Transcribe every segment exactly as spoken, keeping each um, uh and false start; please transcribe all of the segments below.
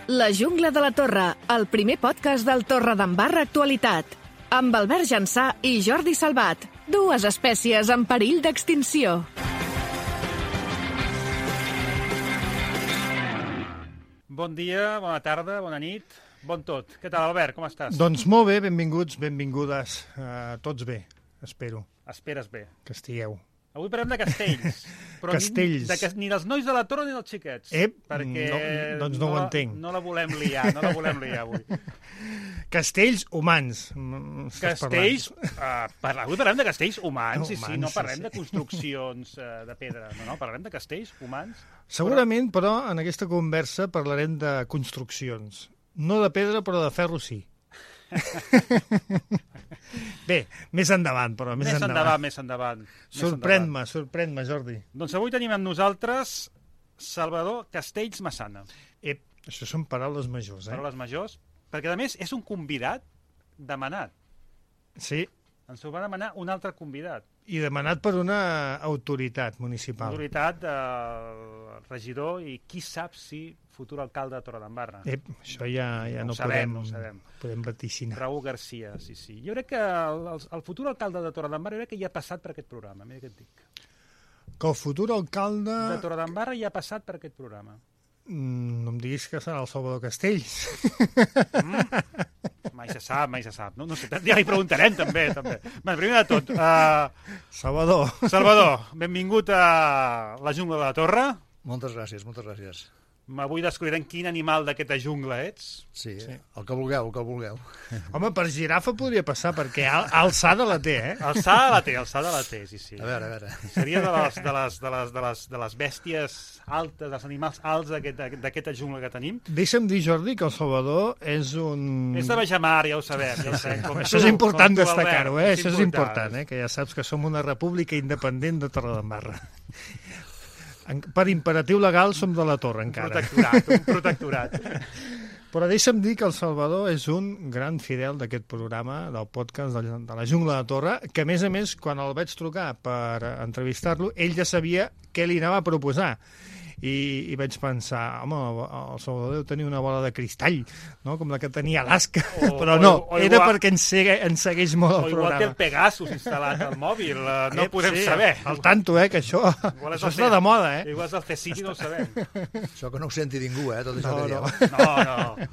La Jungla de la Torre, el primer podcast del Torredembarra Actualitat. Amb Albert Jansà i Jordi Salvat, dues espècies en perill d'extinció. Bon dia, bona tarda, bona nit, bon tot. Què tal, Albert, com estàs? Doncs molt bé, benvinguts, benvingudes. Uh, tots bé, espero. Esperes bé. Que estigueu. Avui parlem de castells. Però Castells. Ni, de, ni dels nois de la Torre ni dels xiquets. Ep, perquè no, doncs no, no ho entenc. No la volem liar, no la volem liar avui. Castells humans. Castells, uh, parla, avui parlem de castells humans, No, sí, sí, humans, no parlem sí, de construccions uh, de pedra, no, no, parlem de castells humans. Segurament, però, en aquesta conversa parlarem de construccions. No de pedra, però de ferro sí. Bé, més endavant, però més, Més endavant. endavant, més endavant. més Sorprèn-me, endavant. sorprèn-me, Jordi. Doncs avui tenim amb nosaltres Salvador Castells Massana. Ep, això són paraules majors, eh? Paraules majors, perquè a més és un convidat demanat. Sí, Ens ho va demanar un altre convidat. i demanat per una autoritat municipal. Autoritat del regidor i qui sap si futur alcalde de Torredembarra. Ep, això ja, ja No no, ho sabem, podem, no ho sabem. podem vaticinar. Raúl Garcia, sí, sí. Jo crec que el, el, el futur alcalde de Torredembarra jo crec que ja ha passat per aquest programa, mira què et dic. Que el futur alcalde... De Torredembarra ja ha passat per aquest programa. Mm, no em diguis que serà el Salvador Castells. Mm? Mai se sap, mai se sap. No, no sé, ja li preguntarem també. també. Bé, primer de tot, uh, Salvador. Salvador, benvingut a la Jungla de la Torre. Moltes gràcies, moltes gràcies. Avui descobrirem quin animal d'aquesta jungla ets. Sí, Sí. sí, el que vulgueu, el que vulgueu. Home, per girafa podria passar, perquè al alçada la té, eh? Alçada la té, alçada la té, sí, sí. A veure, a veure. Seria de les, de les, de les, de les, de les bèsties altes, dels animals alts d'aquest- d'aquesta jungla que tenim. Deixa'm dir, Jordi, que el Salvador és un... És de Bajamar, ja ho sabem. Ja ho sabem com Això tu, és important com tu, destacar-ho, Albert. eh? Això és important, eh? Que ja saps que som una república independent de Torredembarra. En- Per imperatiu legal som de la Torre, Un encara. protectorat, un protectorat. Però deixa'm dir que el Salvador és un gran fidel d'aquest programa, del podcast de la, de la Jungla de Torre, que a més a més, quan el vaig trucar per entrevistar-lo, ell ja sabia què li anava a proposar. I, i vaig pensar, home, el Salvador deu tenir una bola de cristall, no? Com la que tenia Alaska, O- però o- no, o era igual- perquè ens, segue, ens segueix molt O el igual té el programa. Pegasus instal·lat al mòbil, eh, no Ep, ho podem sí, saber. Al tanto, eh, que això, Igual és això el està C- de moda, eh? Igual és el C-City, no ho sabem. Això que no ho senti ningú, eh, tot això No, que no. dieu. No, no.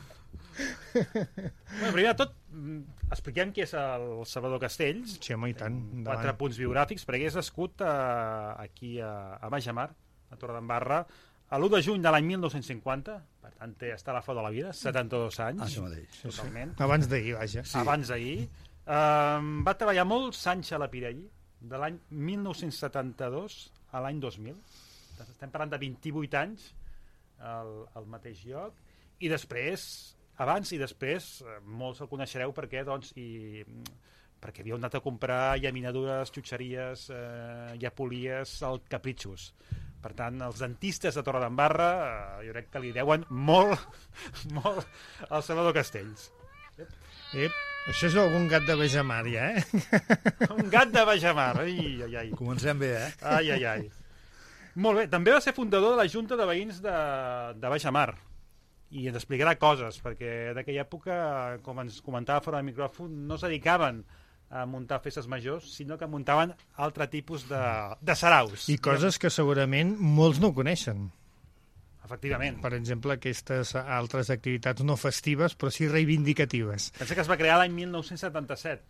Bueno, primer de tot, mm, expliquem qui és el Salvador Castells. Sí, home, i tant. Quatre Endavant. punts biogràfics, perquè és nascut a, aquí a, a Bajamar, a Torredembarra, a l'u de juny de l'any mil nou-cents cinquanta, per tant, té, està a la flor de la vida, setanta-dos anys. Ah, això mateix. Totalment. Abans d'ahir, vaja. Sí. Abans d'ahir. Um, va treballar molts anys a la Pirelli, de l'any mil nou-cents setanta-dos a l'any dos mil. Estem parlant de vint-i-vuit anys al, al mateix lloc. I després, abans i després, eh, molts el coneixereu perquè, doncs, i, perquè havíeu anat a comprar llaminadures, xutxeries, eh, llapolies al Capritxos. Per tant, els dentistes de Torredembarra eh, jo crec que li deuen molt, molt al Salvador Castells. Ep, això és algun gat de Bajamar, ja, eh? Un gat de Bajamar. Ai, ai, ai. Comencem bé, eh? Ai, ai, ai. Molt bé, també va ser fundador de la Junta de Veïns de, de Bajamar i ens explicarà coses, perquè d'aquella època, com ens comentava fora del micròfon, no es dedicaven a muntar festes majors, sinó que muntaven altre tipus de, de saraus. I coses que segurament molts no coneixen. Efectivament. Per exemple, aquestes altres activitats no festives, però sí reivindicatives. Pensa que es va crear l'any mil nou-cents setanta-set.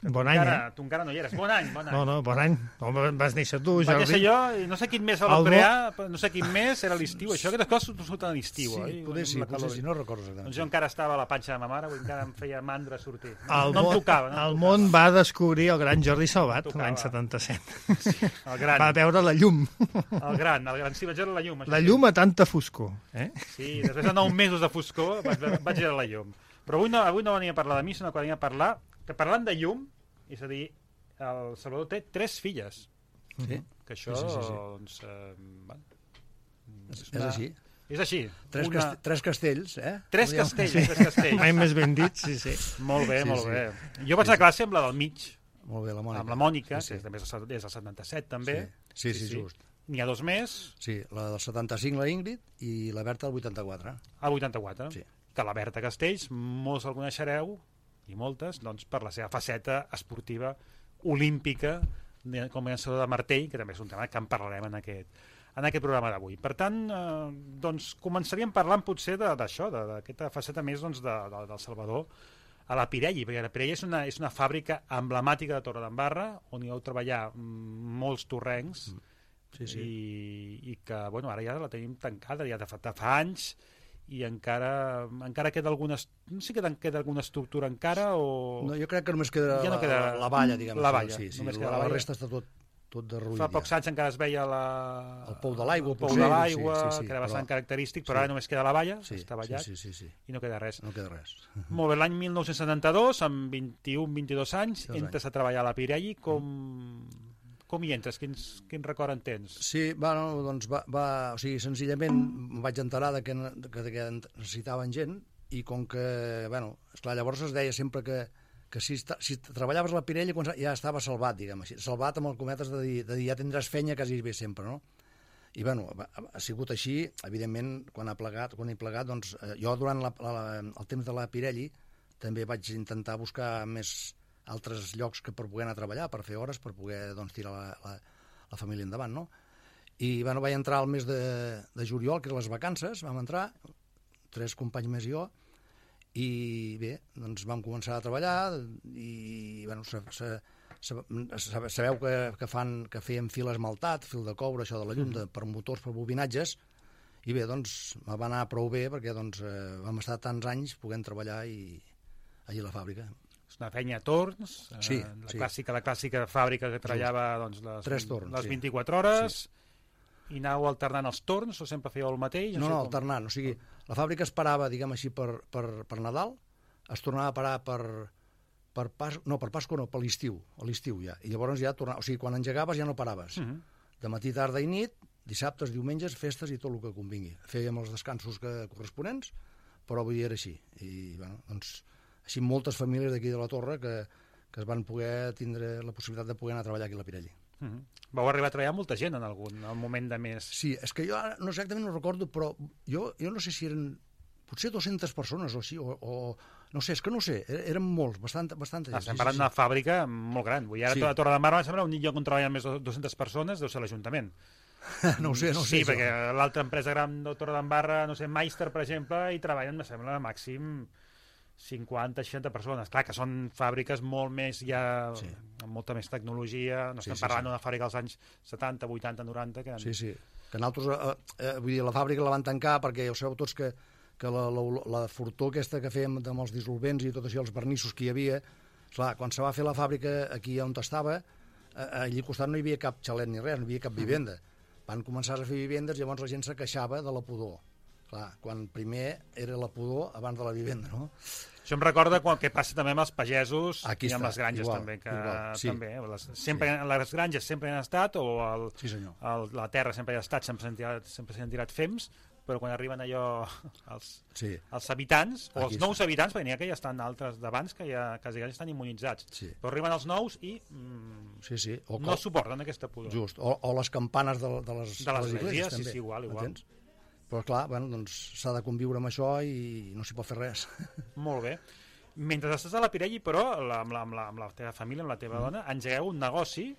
Bon Tu any, encara, eh? Tu encara no hi eres. Bon any, bon any. No, no, bon any. No, vas néixer tu, Vaig Jordi. néixer jo, i no sé quin mes el El vau bo- crear, però no sé quin mes era l'estiu. Això, aquestes coses surten a l'estiu, oi? Sí, poder sí, Amb la potser calor. sí, no recordo Doncs exactament. jo encara estava a la panxa de ma mare, vull encara em feia mandra sortir. No, El, no món, em tocava. No em el tocava. món va descobrir el gran Jordi Salvat Tocava. l'any setanta-set. El gran, Va veure la llum. el gran, el gran. Sí, vaig veure la llum. això La sí. llum a tanta foscor. Eh? Sí, després de nou mesos de foscor vaig, veure- vaig veure la llum. Però avui no, avui no venia a parlar de mi, sinó que venia a parlar, que parlant de llum, és a dir, el Salvador té tres filles. Sí, Que això, Sí, sí, sí, sí. doncs... Eh, bueno, és, és així. És així. Tres, Una... cast tres castells, eh? Tres Podríem- castells, Sí. tres castells. Mai més ben dit, sí, sí. Molt bé, Sí, molt sí. bé. Jo vaig a classe amb la del mig, Molt bé, la Mònica. amb la Mònica, Sí, que sí. és de més des del setanta-set també. Sí, sí, sí, just. N'hi ha dos més. Sí, la del setanta-cinc, la Ingrid, i la Berta del vuitanta-quatre. A vuitanta-quatre. Sí. Que la Berta Castells, molts el coneixereu, i moltes, doncs, per la seva faceta esportiva olímpica com a llançador de martell, que també és un tema que en parlarem en aquest, en aquest programa d'avui. Per tant, eh, doncs, començaríem parlant potser d'això, d'aquesta faceta més doncs, de, de, del Salvador a la Pirelli, perquè la Pirelli és una, és una fàbrica emblemàtica de Torredembarra, on hi heu treballar molts torrencs, sí, sí. I, i que bueno, ara ja la tenim tancada, ja de fa, de fa anys, i encara encara queda alguna, no sé si queda, queda alguna estructura encara o... No, jo crec que només queda, ja no queda la, la, la valla, diguem. La valla, sí, sí, només la, queda la, la valla. resta està tot, tot derruït. Fa pocs ja. anys encara es veia la... el pou de l'aigua, el pou potser, de l'aigua, sí, sí, sí, que era bastant però... característic, però sí. ara només queda la valla, sí, està ballat, sí, sí, sí, sí. i no queda res. No queda res. Molt bé, l'any mil nou-cents setanta-dos, amb vint-i-un vint-i-dos anys, Dos entres anys. a treballar a la Pirelli, com... Com hi entres? Quins, quin record en tens? Sí, bueno, doncs va, va, o sigui, senzillament em vaig enterar de que, que, que necessitaven gent i com que, bueno, esclar, llavors es deia sempre que, que si, si treballaves a la Pirelli ja estava salvat, diguem així, salvat amb el cometes de dir, de dir ja tindràs fenya quasi bé sempre, no? I, bueno, ha, ha sigut així, evidentment, quan ha plegat, quan he plegat, doncs, eh, jo durant la, la, el temps de la Pirelli també vaig intentar buscar més altres llocs que per poder anar a treballar, per fer hores, per poder doncs, tirar la, la, la família endavant, no? I bueno, vaig entrar al mes de, de juliol, que eren les vacances, vam entrar, tres companys més i jo, i bé, doncs vam començar a treballar, i bueno, se, se, se, sabeu que, que, fan, que fèiem fil esmaltat, fil de coure, això de la llum, de, per motors, per bobinatges, i bé, doncs va anar prou bé, perquè doncs, eh, vam estar tants anys podent treballar i, allà a la fàbrica. És una feina a torns, sí, eh, la, sí. clàssica, la clàssica fàbrica que treballava doncs, les, Tres torns, les sí. vint-i-quatre hores, sí. I anàveu alternant els torns o sempre fèieu el mateix? No, sé no, com... alternant. O sigui, la fàbrica es parava, diguem així, per, per, per Nadal, es tornava a parar per, per pas, no, per Pasqua no, per l'estiu, a l'estiu ja. I llavors ja tornava, o sigui, quan engegaves ja no paraves. Uh -huh. De matí, tarda i nit, dissabtes, diumenges, festes i tot el que convingui. Fèiem els descansos que, corresponents, però avui dia era així. I, bueno, doncs, així moltes famílies d'aquí de la Torre que, que es van poder tindre la possibilitat de poder anar a treballar aquí a la Pirelli. Uh -huh. Vau arribar a treballar molta gent en algun en moment de més. Sí, és que jo ara no exactament no recordo, però jo, jo no sé si eren potser dues-centes persones o així, o, o no sé, és que no sé, eren molts, bastant, bastanta gent. Estem sí, parlant sí, d'una sí. fàbrica molt gran. Vull dir, ara Sí. sí. A Torredembarra em sembla un lloc on treballen més de dues-centes persones, deu ser l'Ajuntament. No ho sé, no ho sé. Sí, això. perquè l'altra empresa gran de Torredembarra, no sé, Meister, per exemple, hi treballen, em sembla, màxim cinquanta seixanta persones. Clar, que són fàbriques molt més ja, Sí. amb molta més tecnologia. No Sí, estem sí, parlant sí. d'una fàbrica dels anys setanta, vuitanta, noranta. Que... Sí, sí. Que nosaltres, eh, eh, vull dir, la fàbrica la van tancar perquè ja ho sabeu tots que, que la, la, la fortor aquesta que fèiem amb els dissolvents i tot això, els vernissos que hi havia, clar, quan se va fer la fàbrica aquí on estava, eh, allí al costat no hi havia cap xalet ni res, no hi havia cap vivenda. Van començar a fer vivendes, llavors la gent se queixava de la pudor. Clar, quan primer era la pudor abans de la vivenda, no? Això em recorda quan, què passa també amb els pagesos Aquí i amb està, les granges igual, també, que igual, sí. també, les, sempre, sí. Les granges sempre han estat, o el, Sí, senyor. el, la terra sempre ha estat, sempre s'han tirat, sempre s'han tirat fems, però quan arriben allò els, Sí. els habitants, o Aquí els nous està. habitants, perquè n'hi ha que ja estan altres d'abans que ja quasi, quasi estan immunitzats, Sí. però arriben els nous i mm, Sí, sí. O, no suporten aquesta pudor. Just, o, o les campanes de, de les, De les esglésies, esglésies, sí, també, sí, igual, igual. entens? Però clar, bueno, doncs s'ha de conviure amb això i no s'hi pot fer res. Molt bé. Mentre estàs a la Pirelli, però, la, amb, la, amb, la, amb la teva família, amb la teva mm. dona, engegueu un negoci,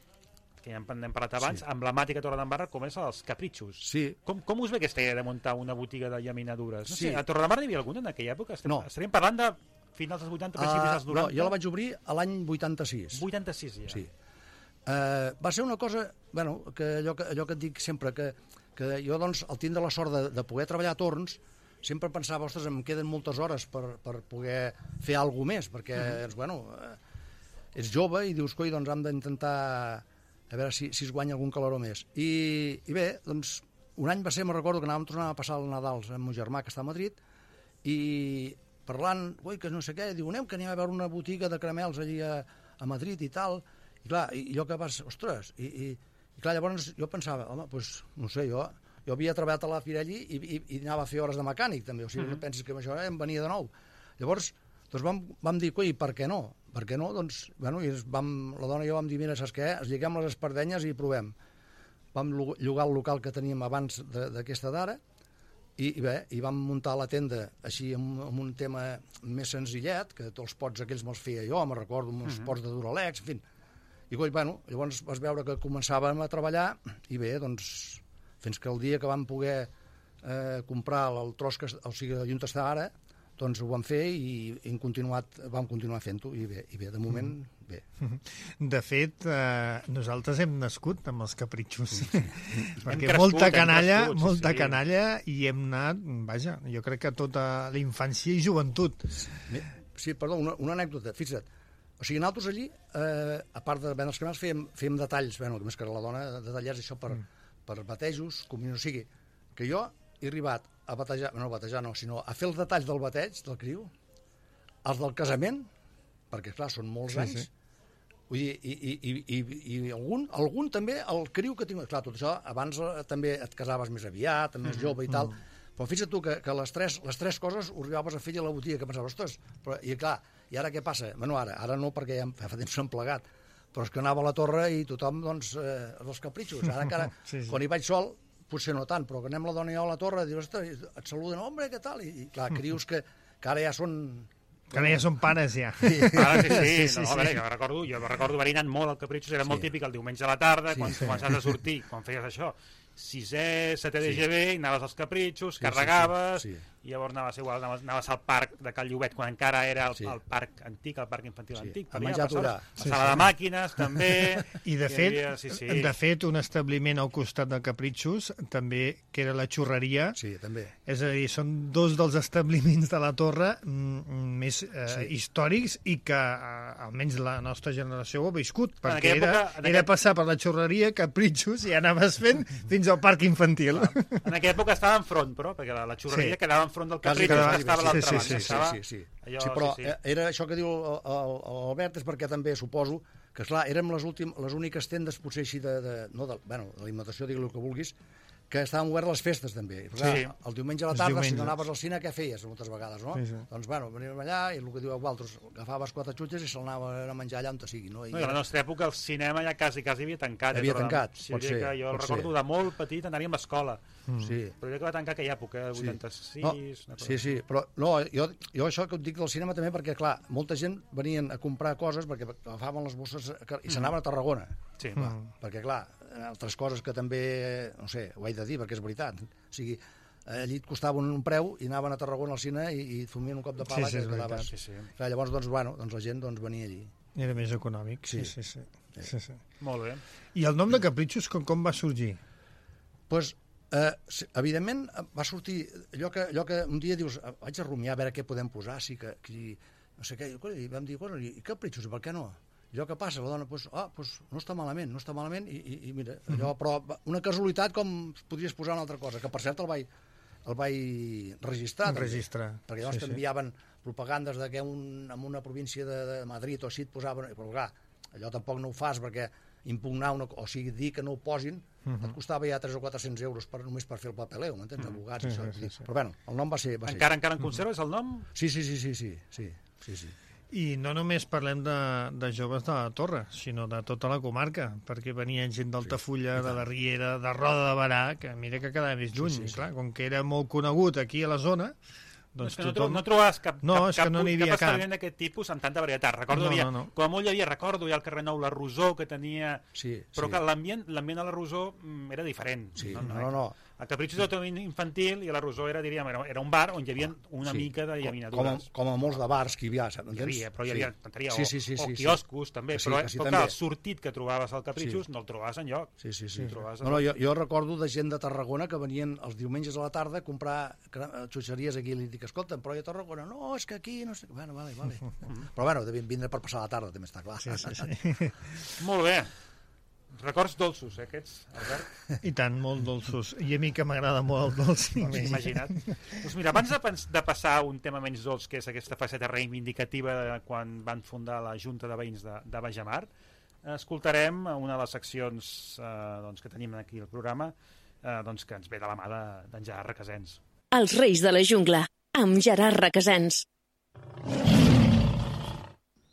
que ja n'hem parlat abans, Sí. emblemàtica a Torredembarra, com és els capritxos. Sí. Com, com us ve aquesta idea de muntar una botiga de llaminadures? No Sí. sé, a Torredembarra n'hi havia alguna en aquella època? Estem, No. Estaríem parlant de finals dels vuitanta, principis dels Uh, no, noranta? jo la vaig obrir a l'any vuitanta-sis. vuitanta-sis ja. Sí. Uh, va ser una cosa, bueno, que allò, que allò que et dic sempre, que, que jo, doncs, al tindre la sort de, de poder treballar a torns, sempre pensava, ostres, em queden moltes hores per, per poder fer alguna més, perquè, uh -huh. bueno, eh, ets jove i dius, coi, doncs hem d'intentar a veure si, si es guanya algun caloró més. I, i bé, doncs, un any va ser, me'n recordo, que anàvem tornar a passar el Nadal amb el meu germà, que està a Madrid, i parlant, ui, que no sé què, diu, anem, que anem a veure una botiga de caramels allí a, a Madrid i tal, i clar, i jo que vas, ostres, i, i, i clar, llavors jo pensava, home, doncs, no sé, jo, jo havia treballat a la Pirelli i, i, i anava a fer hores de mecànic, també, o sigui, no pensis que amb això eh, em venia de nou. Llavors, doncs vam, vam dir, coi, per què no? Per què no? Doncs, bueno, i vam, la dona i jo vam dir, mira, saps què? Es lliguem les espardenyes i provem. vam llogar el local que teníem abans d'aquesta d'ara, i, i bé, i vam muntar la tenda així amb, amb un tema més senzillet, que tots els pots aquells me'ls feia jo, me recordo, uns uh-huh. pots de Duralex, en fi. I bueno, llavors vas veure que començàvem a treballar, i bé, doncs, fins que el dia que vam poder eh, comprar el tros, que, o sigui, on està ara, doncs ho vam fer i hem continuat, vam continuar fent-ho, i bé, i bé, de moment, mm. bé. De fet, eh, nosaltres hem nascut amb els capritxos, sí. perquè crescut, molta canalla, crescut, molta sí. canalla, i hem anat, vaja, jo crec que tota la infància i joventut. Sí, perdó, una, una anècdota, fixa't, o sigui, nosaltres allí, eh, a part de vendre els canals, fèiem, fèiem detalls, bueno, més que la dona, detallats això per, mm. per batejos, comunió, o sigui, que jo he arribat a batejar, no a batejar no, sinó a fer els detalls del bateig, del criu, els del casament, perquè, clar, són molts sí, anys, sí. Vull dir, i, i, i, i, i algun, algun també, el criu que tinc... Clar, tot això, abans eh, també et casaves més aviat, més mm, jove i tal, mm. però fixa't tu que, que les, tres, les tres coses ho arribaves a fer a la botiga, que pensaves, ostres, però, i clar, i ara què passa? Bueno, ara, ara no, perquè ja fa temps s'han plegat, però és que anava a la torre i tothom, doncs, eh, els capritxos. Ara encara, sí, sí. quan hi vaig sol, potser no tant, però que anem la dona i jo a la torre, dius, et saluden, home, què tal? I, i clar, crius que, que ara ja són... Que ara ja són pares, ja. Sí, ara sí, sí. sí, sí, no, sí. A veure, jo recordo, jo recordo haver anat molt al Capritxos, era sí. molt típic el diumenge a la tarda, sí, quan sí. començaves a sortir, quan feies això, sisè, setè de G B, sí. anaves als Capritxos, sí, carregaves, sí, sí, sí. i llavors anaves, igual, anaves, anaves al parc de Cal Llobet, quan encara era el, sí. el parc antic, el parc infantil sí. antic. A menjar a la sí, sala sí. de màquines, també. I de fet, havia, sí, sí. de fet, un establiment al costat de Capritxos, també, que era la xurreria. Sí, també. És a dir, són dos dels establiments de la Torre mm, més eh, sí. històrics i que, eh, almenys la nostra generació ho ha viscut, perquè època, era, aquella... era passar per la xurreria, Capritxos, i anaves fent fins al parc infantil. Clar. En aquella època estava enfront, però, perquè la, la xurreria sí. quedava enfront del Capritxos, que estava a l'altra sí, banda. Sí, sí, estava... sí, sí, sí. Allò, sí, però sí, sí. era això que diu l'Albert, és perquè també suposo que, clar, érem les, últim, les úniques tendes, potser així, de, de, no de, bueno, de l'alimentació, digui el que vulguis, que estaven obertes les festes, també. Clar, sí. El diumenge a la tarda, si no anaves al cine, què feies, moltes vegades, no? Sí, sí. Doncs, bueno, veníem allà, i el que diu Walters, agafaves quatre xutxes i se'l anava a menjar allà on te sigui, no? I no, i a la nostra època el cinema ja quasi, quasi havia tancat. Havia tancat, sí, pot ser. Que jo el recordo ser. de molt petit, anaríem a escola. Mm. Sí. Però jo que va tancar aquella època, eh, vuitanta-sis... No, sí, sí, però no, jo, jo això que et dic del cinema també, perquè, clar, molta gent venien a comprar coses perquè agafaven les bosses i s'anaven a Tarragona. Sí. Clar, mm. Perquè, clar, altres coses que també, no sé, ho he de dir perquè és veritat, o sigui, allí et costava un, un preu i anaven a Tarragona al cine i, i et fumien un cop de pala. Sí, sí, que quedaves... sí, sí. Clar, llavors, doncs, bueno, doncs la gent doncs, venia allí. Era més econòmic, sí, sí, sí. sí. sí. sí, sí. Molt bé. I el nom de Capritxos com, com va sorgir? Doncs, pues, eh, evidentment, va sortir allò que, allò que un dia dius, vaig a rumiar a veure què podem posar, sí que, que no sé què, i vam dir, i Capritxos, i per què no? Allò que passa, la dona, doncs, ah, doncs no està malament, no està malament, i, i, i mira, allò, però una casualitat com podries posar una altra cosa, que per cert el vaig, el vaig registrar. Registrar. També, perquè llavors sí, t'enviaven sí. propagandes de que un, en una província de, de Madrid o així et posaven, però clar, allò tampoc no ho fas perquè impugnar, una, o sigui, dir que no ho posin, uh -huh. et costava ja tres o quatre-cents euros per, només per fer el papeleu, m'entens? Uh -huh. Abogats, sí, això. Sí, sí, sí. Però bueno, el nom va ser... Va encara, ser. encara en conserves el nom? Sí, sí, sí, sí, sí, sí, sí, sí. I no només parlem de, de joves de la Torre, sinó de tota la comarca, perquè venien gent d'Altafulla, sí, de la Riera, de Roda de Barà, que mira que quedava més lluny, sí, sí, sí. Clar, com que era molt conegut aquí a la zona, doncs no, tothom... no trobaves cap, no, cap, cap, no cap establiment d'aquest tipus amb tanta varietat. Recordo, no, havia, no, no. com a molt hi havia, recordo, hi ha el carrer Nou, la Rosó, que tenia... Sí, però sí. que l'ambient l'ambient a la Rosó era diferent. Sí, no, no, no. no. El Capritxos era tot infantil i a la Rosó era, diríem, era, era un bar on hi havia una sí. mica de llaminadures. Com, com a molts de bars que hi havia, saps? Hi havia, però hi havia, sí. sí, sí, sí, o, sí, o quioscos, sí. també, sí, però, sí, però també. clar, el sortit que trobaves al Capritxos sí. no el trobaves enlloc. Sí, sí, sí. sí. No, no, jo, jo recordo de gent de Tarragona que venien els diumenges a la tarda a comprar xutxeries aquí i li dic, escolta, però a Tarragona, no, és que aquí, no sé... Bueno, vale, vale. Però bueno, devien vindre per passar la tarda, també està clar. Sí, sí, sí. Molt bé. Records dolços, eh, aquests, Albert? I tant, molt dolços. I a mi que m'agrada molt el dolç. Imagina't. Doncs mira, abans de, de passar a un tema menys dolç, que és aquesta faceta reivindicativa de quan van fundar la Junta de Veïns de, de Bajamar, escoltarem una de les seccions eh, doncs, que tenim aquí al programa, eh, doncs, que ens ve de la mà d'en de, Gerard Requesens. Els Reis de la Jungla, amb Gerard Requesens.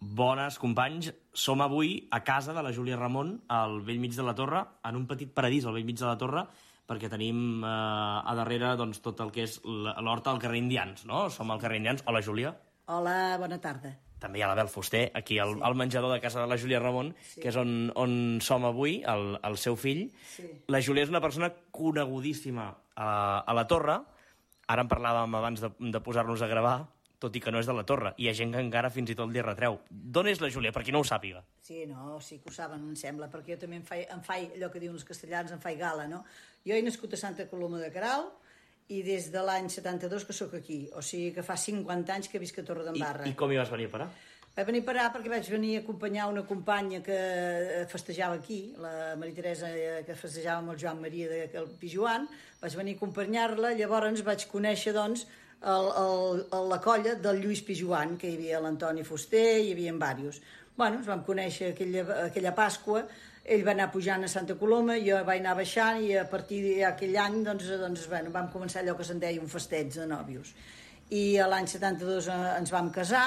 Bones, companys. Som avui a casa de la Júlia Ramon, al vell mig de la Torre, en un petit paradís al vell mig de la Torre, perquè tenim eh, a darrere doncs, tot el que és l'horta al carrer Indians, no? Som al carrer Indians. Hola, Júlia. Hola, bona tarda. També hi ha l'Abel Fuster, aquí al, Sí. al menjador de casa de la Júlia Ramon, Sí. que és on, on som avui, el, el seu fill. Sí. La Júlia és una persona conegudíssima a, a la Torre. Ara en parlàvem abans de, de posar-nos a gravar, tot i que no és de la Torre. Hi ha gent que encara fins i tot li retreu. D'on és la Júlia, per qui no ho sàpiga? Sí, no, sí que ho saben, em sembla, perquè jo també em faig, em faig allò que diuen els castellans, em faig gala, no? Jo he nascut a Santa Coloma de Queralt i des de l'any setanta-dos que sóc aquí, o sigui que fa cinquanta anys que visc a Torredembarra. I, I com hi vas venir a parar? Vaig venir a parar perquè vaig venir a acompanyar una companya que festejava aquí, la Maria Teresa, que festejava amb el Joan Maria del Pijuan. Vaig venir a acompanyar-la, llavors vaig conèixer, doncs, el, el, el, la colla del Lluís Pijuan, que hi havia l'Antoni Fuster, hi havia diversos. Bueno, ens vam conèixer aquella, aquella Pasqua, ell va anar pujant a Santa Coloma, jo vaig anar baixant i a partir d'aquell any doncs, doncs, bueno, vam començar allò que se'n deia un festeig de nòvios. I l'any setanta-dos ens vam casar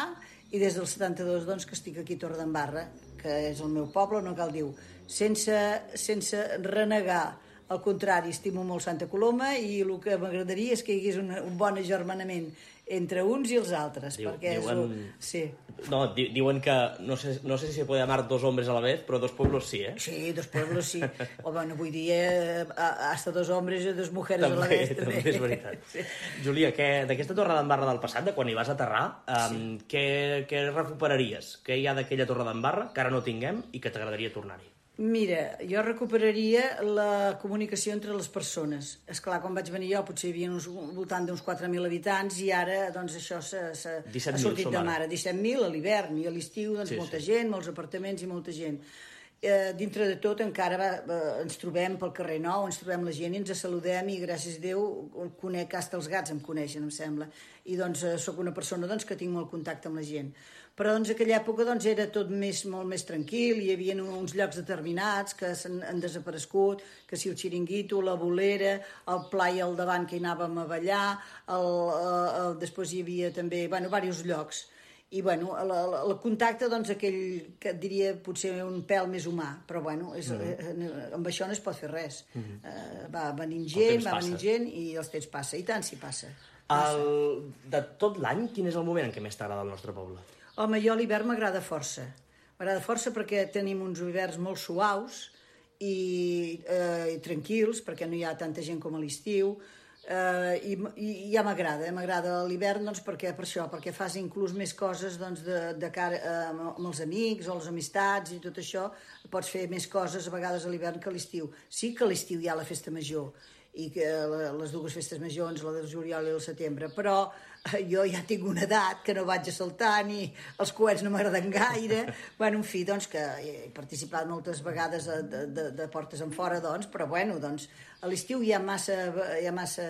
i des del setanta-dos doncs, que estic aquí a Torredembarra, que és el meu poble, no cal dir, sense, sense renegar. Al contrari, estimo molt Santa Coloma i el que m'agradaria és que hi hagués un, un bon agermanament entre uns i els altres. Diu, perquè diuen... és un... Sí. No, di diuen que no sé, no sé si se puede amar dos hombres a la vez, però dos pueblos sí, eh? Sí, dos pueblos sí. O bueno, vull dir, eh, hasta dos hombres i dos mujeres també, a la vez. També, també és veritat. Sí. Júlia, d'aquesta Torredembarra del passat, de quan hi vas aterrar, um, sí. què, què recuperaries? Què hi ha d'aquella Torredembarra que ara no tinguem i que t'agradaria tornar-hi? Mira, jo recuperaria la comunicació entre les persones. És clar, quan vaig venir jo potser hi havia uns, voltant d'uns quatre mil habitants i ara doncs això s'ha sortit de mare. disset mil a l'hivern i a l'estiu doncs sí, molta sí. gent, molts apartaments i molta gent. Eh, dintre de tot encara va, eh, ens trobem pel carrer Nou, ens trobem la gent i ens saludem i gràcies a Déu conec, hasta els gats em coneixen, em sembla. I doncs eh, sóc una persona doncs, que tinc molt contacte amb la gent. Però doncs aquella època doncs, era tot més, molt més tranquil, hi havia uns llocs determinats que han desaparegut, que si el xiringuito, la bolera, el pla i al davant que hi anàvem a ballar, el, el, el, després hi havia també, bueno, diversos llocs. I, bueno, el, el, el contacte, doncs, aquell que et diria potser un pèl més humà, però, bueno, és, mm-hmm. amb això no es pot fer res. Mm-hmm. uh, va venint gent, va venint gent i els temps passa, i tant s'hi passa. passa. El, de tot l'any, quin és el moment en què més t'agrada el nostre poble? Home, jo l'hivern m'agrada força. M'agrada força perquè tenim uns hiverns molt suaus i, eh, i tranquils, perquè no hi ha tanta gent com a l'estiu, eh, i, i ja m'agrada. M'agrada l'hivern doncs, perquè, per això, perquè fas inclús més coses doncs, de, de cara eh, amb els amics o les amistats i tot això. Pots fer més coses a vegades a l'hivern que a l'estiu. Sí que a l'estiu hi ha la festa major, i que les dues festes majors, la del juliol i el setembre, però jo ja tinc una edat que no vaig a saltar ni els coets no m'agraden gaire. Bueno, en fi, doncs que he participat moltes vegades de, de, de portes en fora, doncs, però bueno, doncs a l'estiu hi ha massa, hi ha massa,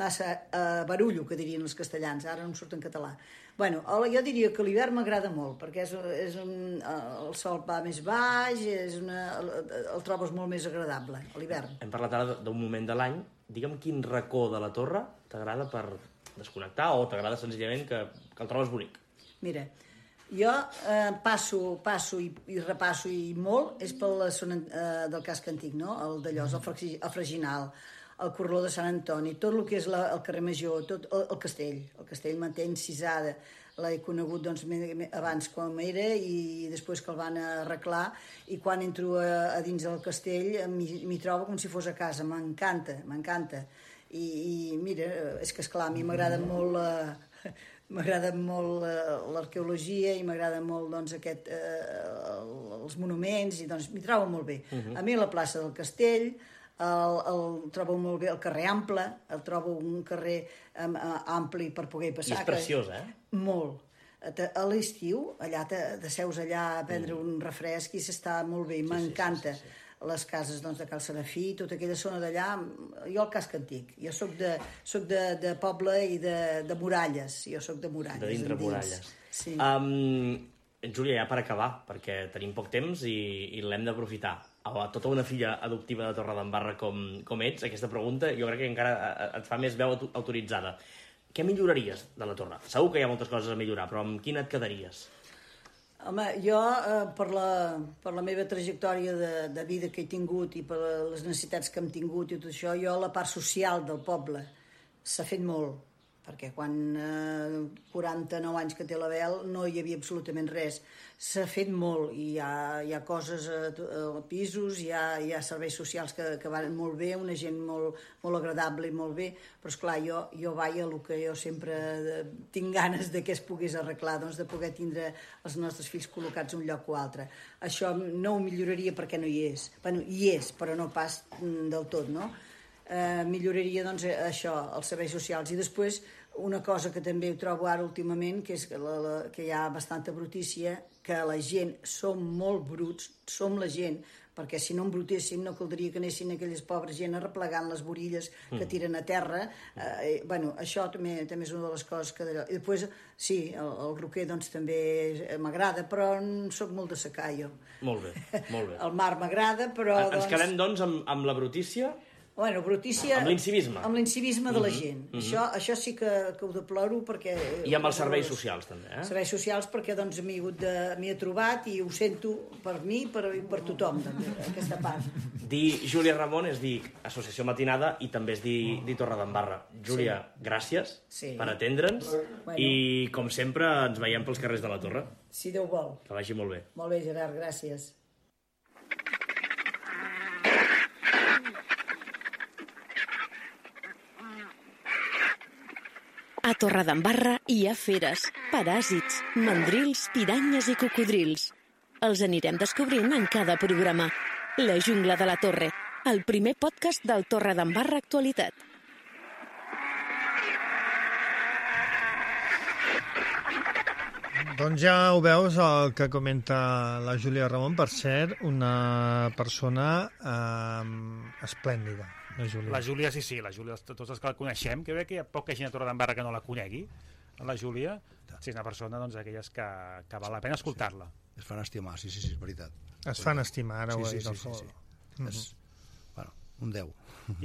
massa uh, barullo, que dirien els castellans, ara no em surt en català. Bueno, jo diria que l'hivern m'agrada molt, perquè és, és un, el sol va més baix, és una, el, el trobes molt més agradable, a l'hivern. Hem parlat ara d'un moment de l'any. Digue'm quin racó de la Torre t'agrada per desconnectar o t'agrada senzillament que, que el trobes bonic? Mira, jo eh, passo, passo i, i repasso i molt, és per la zona eh, del casc antic, no? El d'Allòs, el, Fragi, el Freginal, el Corraló de Sant Antoni, tot el que és la, el carrer Major, tot el, el castell. El castell manté encisada. L'he conegut doncs, abans com era i després que el van arreglar, i quan entro a, a dins del castell m'hi trobo com si fos a casa. M'encanta, m'encanta. I, I mira, és que esclar, a mi m'agrada molt la, m'agrada molt l'arqueologia i m'agrada molt doncs, aquest, eh, els monuments, i doncs m'hi trobo molt bé. Uh-huh. A mi la plaça del Castell, El, el trobo molt bé, el carrer Ample, el trobo un carrer um, ampli per poder passar. I és preciós, eh? Molt. A l'estiu, allà te, te seus allà a prendre mm. un refresc i s'està molt bé, sí, m'encanta. Sí, sí, sí, sí. Les cases doncs, de Cal Serafí, tota aquella zona d'allà, jo el casc antic. Jo soc de, soc de, de poble i de, de muralles, jo soc de muralles. De dintre muralles. Sí. Um, Júlia, ja per acabar, perquè tenim poc temps i, i l'hem d'aprofitar. A tota una filla adoptiva de Torredembarra com, com ets, aquesta pregunta jo crec que encara et fa més veu autoritzada. Què milloraries de la Torre? Segur que hi ha moltes coses a millorar, però amb quina et quedaries? Home, jo, eh, per, la, per la meva trajectòria de, de vida que he tingut i per les necessitats que hem tingut i tot això, jo la part social del poble s'ha fet molt, perquè quan eh, quaranta-nou anys que té l'Abel no hi havia absolutament res. S'ha fet molt i hi ha, hi ha coses a, a pisos, hi ha, hi ha serveis socials que, que van molt bé, una gent molt, molt agradable i molt bé, però esclar, jo, jo vaig a el que jo sempre tinc ganes de que es pogués arreglar, doncs de poder tindre els nostres fills col·locats un lloc o altre. Això no ho milloraria perquè no hi és. Bueno, hi és, però no pas del tot, no? Eh, milloraria doncs això, els serveis socials. I després una cosa que també ho trobo ara últimament, que és que, la, la, que hi ha bastanta brutícia, que la gent som molt bruts, som la gent, perquè si no embrutéssim no caldria que anessin aquelles pobres gent arreplegant les borilles que tiren a terra. Eh, bueno, això també, també és una de les coses que... I després, sí, el, el roquer doncs també m'agrada, però sóc molt de secar jo. Molt bé, molt bé. El mar m'agrada, però... Ens doncs... quedem doncs amb, amb la brutícia... Bueno, brutícia... Amb l'incivisme. Amb l'incivisme de la gent. Mm -hmm. això, això sí que, que ho deploro perquè... I amb els serveis socials, també, eh? Serveis socials perquè doncs m'hi he trobat i ho sento per mi i per, per tothom, també, aquesta part. Dir Júlia Ramon és dir Associació Matinada i també és dir, dir Torredembarra. Júlia, sí. gràcies sí. per atendre'ns bueno. i, com sempre, ens veiem pels carrers de la Torre. Si Déu vol. Que vagi molt bé. Molt bé, Gerard, gràcies. A Torredembarra hi ha feres, paràsits, mandrils, piranyes i cocodrils. Els anirem descobrint en cada programa. La jungla de la Torre, el primer podcast del Torredembarra Actualitat. Doncs ja ho veus, el que comenta la Júlia Ramon, per cert, una persona eh, esplèndida. La Júlia. La Júlia, sí, sí, la Júlia, tots els que la coneixem, que ve que hi ha poca gent a Torredembarra que no la conegui, la Júlia, sí, és una persona doncs, d'aquelles que, que val la pena escoltar-la. Sí. Es fan estimar, sí, sí, sí, és veritat. Es fan estimar, ara sí, ho sí, he dit sí, al sí, sol. sí, sí. Mm -hmm. És, bueno, un deu.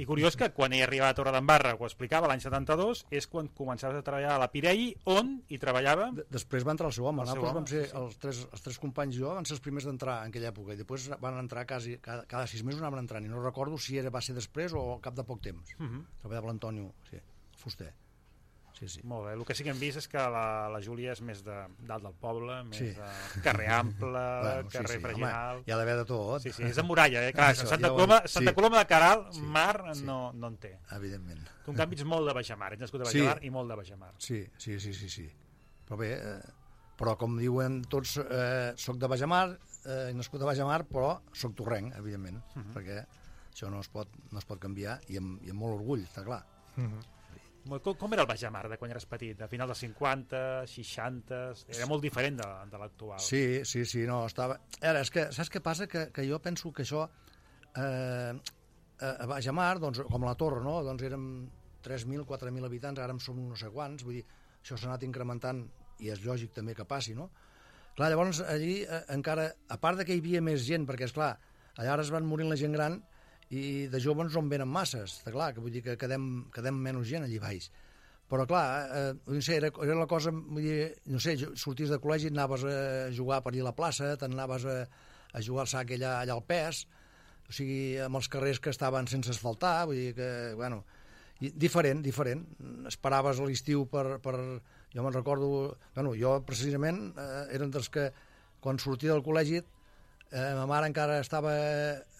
I curiós que quan ell arribava a Torredembarra, ho explicava, l'any setanta-dos, és quan començaves a treballar a la Pirelli, on hi treballava... De Després va entrar el seu home. El Nosaltres seu vam ser, sí, sí. els, tres, els tres companys i jo, van ser els primers d'entrar en aquella època, i després van entrar quasi, cada, cada sis mesos anaven entrant, i no recordo si era, va ser després o al cap de poc temps. Uh -huh. Treballava l'Antonio, sí, Fuster. Sí, sí. Molt bé, el que sí que hem vist és que la, la Júlia és més de dalt del poble, més sí. de carrer ample, bueno, carrer sí, sí. Freginal... Home, hi ha d'haver de tot. Sí, sí, és de muralla, eh? Clar, Això, Santa, ja Coloma, Santa sí. Coloma de Queralt, sí. mar, sí. no, no en té. Evidentment. Tu, en canvi, ets molt de Bajamar, ets nascut a Bajamar sí. i molt de Bajamar. Sí, sí, sí, sí, sí. Però bé, eh, però com diuen tots, eh, soc de Bajamar, eh, nascut a Bajamar, però soc torrenc, evidentment, uh -huh. perquè això no es pot, no es pot canviar, i amb, i amb molt orgull, està clar. Uh -huh. Com, com era el Bajamar de quan eres petit? A final dels cinquanta, seixanta... Era molt diferent de, de l'actual. Sí, sí, sí, no, estava... Era, és que, saps què passa? Que, que jo penso que això... Eh, a Bajamar, doncs, com a la Torre, no? Doncs érem tres mil, quatre mil habitants, ara en som no sé quants, vull dir, això s'ha anat incrementant i és lògic també que passi, no? Clar, llavors, allí eh, encara, a part de que hi havia més gent, perquè, és clar, allà ara es van morint la gent gran i de joves no en venen masses, està clar, que vull dir que quedem, quedem menys gent allí baix. Però, clar, eh, no sé, era, era la cosa, vull dir, no sé, sorties de col·legi, anaves a jugar per allà a la plaça, t'anaves a, a jugar al sac allà, allà al pes, o sigui, amb els carrers que estaven sense asfaltar, vull dir que, bueno, diferent, diferent. Esperaves a l'estiu per, per... Jo me'n recordo... Bueno, jo, precisament, eh, eren dels que, quan sortia del col·legi, eh, ma mare encara estava...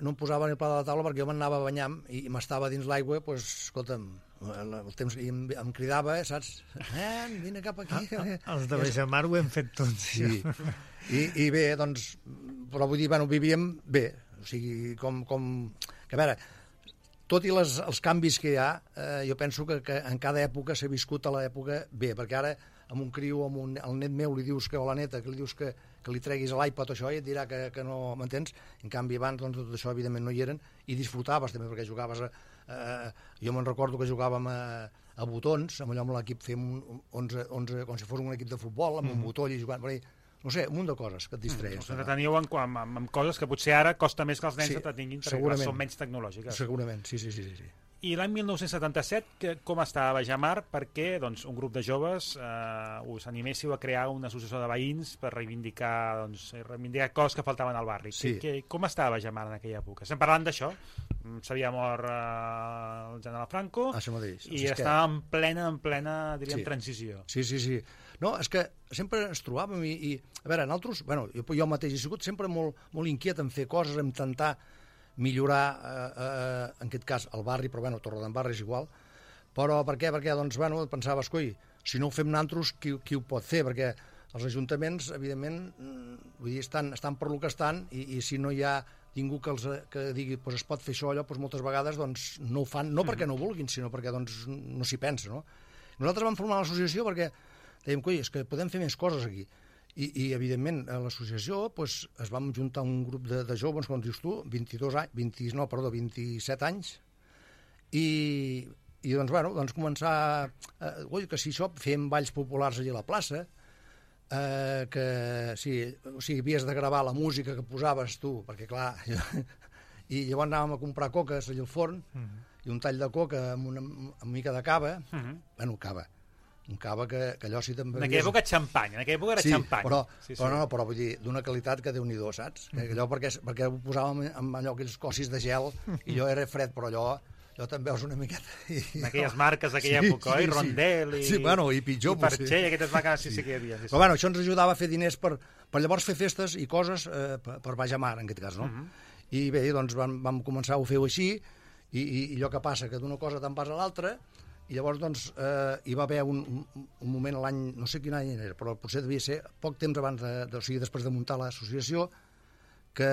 No em posava ni el pla de la taula perquè jo m'anava banyant i m'estava dins l'aigua, doncs, pues, escolta'm, el temps, i em, em cridava, saps? Eh, vine cap aquí. Ah, els de Bajamar ho hem fet tots. Sí. I, I bé, doncs... Però vull dir, bueno, vivíem bé. O sigui, com... com que a veure, tot i les, els canvis que hi ha, eh, jo penso que, que en cada època s'ha viscut a l'època bé, perquè ara amb un criu, amb un, el net meu li dius que, o la neta, que li dius que, que li treguis a l'iPad o això, i et dirà que, que no m'entens. En canvi, abans doncs, tot això evidentment no hi eren, i disfrutaves també, perquè jugaves a... Eh, jo me'n recordo que jugàvem a, a botons, amb allò amb l'equip fem onze, onze, com si fos un equip de futbol, amb mm. un botó i jugant per ahí. No sé, un munt de coses que et distreien. Us entreteniu en, en, en coses que potser ara costa més que els nens sí, s'entretinguin perquè són menys tecnològiques. Segurament, sí, sí, sí. sí. I l'any mil nou-cents setanta-set, que, com estava Bajamar? Perquè doncs, un grup de joves eh, us animéssiu a crear una associació de veïns per reivindicar, doncs, reivindicar coses que faltaven al barri. Sí. Que, que, com estava Bajamar en aquella època? Estem parlant d'això. S'havia mort eh, el general Franco Això mateix. i estava en plena, en plena, diríem, Sí. transició. Sí, sí, sí. No, és que sempre ens trobàvem i, i a veure, nosaltres, bueno, jo, jo mateix he sigut sempre molt, molt inquiet en fer coses, en tentar millorar, eh, eh, en aquest cas, el barri, però bueno, Torredembarra és igual. Però per què? Perquè, doncs, bueno, pensaves, coi, si no ho fem nosaltres, qui, qui ho pot fer? Perquè els ajuntaments, evidentment, vull dir, estan, estan per lo que estan i, i si no hi ha ningú que, els, que digui pues, es pot fer això, allò, doncs moltes vegades doncs, no ho fan, no perquè no vulguin, sinó perquè doncs, no s'hi pensa, no? Nosaltres vam formar l'associació perquè dèiem, coi, és que podem fer més coses aquí. I, i evidentment, a l'associació pues, es vam juntar un grup de, de joves, com dius tu, vint-i-dos anys, vint, no, perdó, vint-i-set anys, i, i doncs, bueno, doncs començar, eh, oi, que si això, fem balls populars allà a la plaça, eh, que sí, o sigui, havies de gravar la música que posaves tu, perquè clar, jo, i llavors anàvem a comprar coques allà al forn, uh -huh. i un tall de coca amb una, amb una mica de cava, uh -huh. bueno, cava, un cava que, que allò sí també... En aquella època xampany, en aquella època era sí, xampany. Però, sí, sí. però no, però vull dir, d'una qualitat que Déu-n'hi-do, saps? Mm. Allò perquè, perquè ho posàvem amb allò, aquells cossis de gel, i allò era fred, però allò, allò també veus una miqueta... I, en aquelles marques d'aquella sí, època, sí, oi? Rondel i... Sí, bueno, i pitjor, i Perxell, i aquestes marques sí, sí, sí que hi havia. Sí, sí. Però bueno, això ens ajudava a fer diners per, per llavors fer festes i coses eh, per, per Bajamar, en aquest cas, no? Mm -hmm. I bé, doncs vam, vam començar a fer-ho així, i, i, i allò que passa, que d'una cosa te'n vas a l'altra, i llavors doncs eh, hi va haver un, un, un moment l'any, no sé quin any era, però potser devia ser poc temps abans de, de o sigui, després de muntar l'associació, que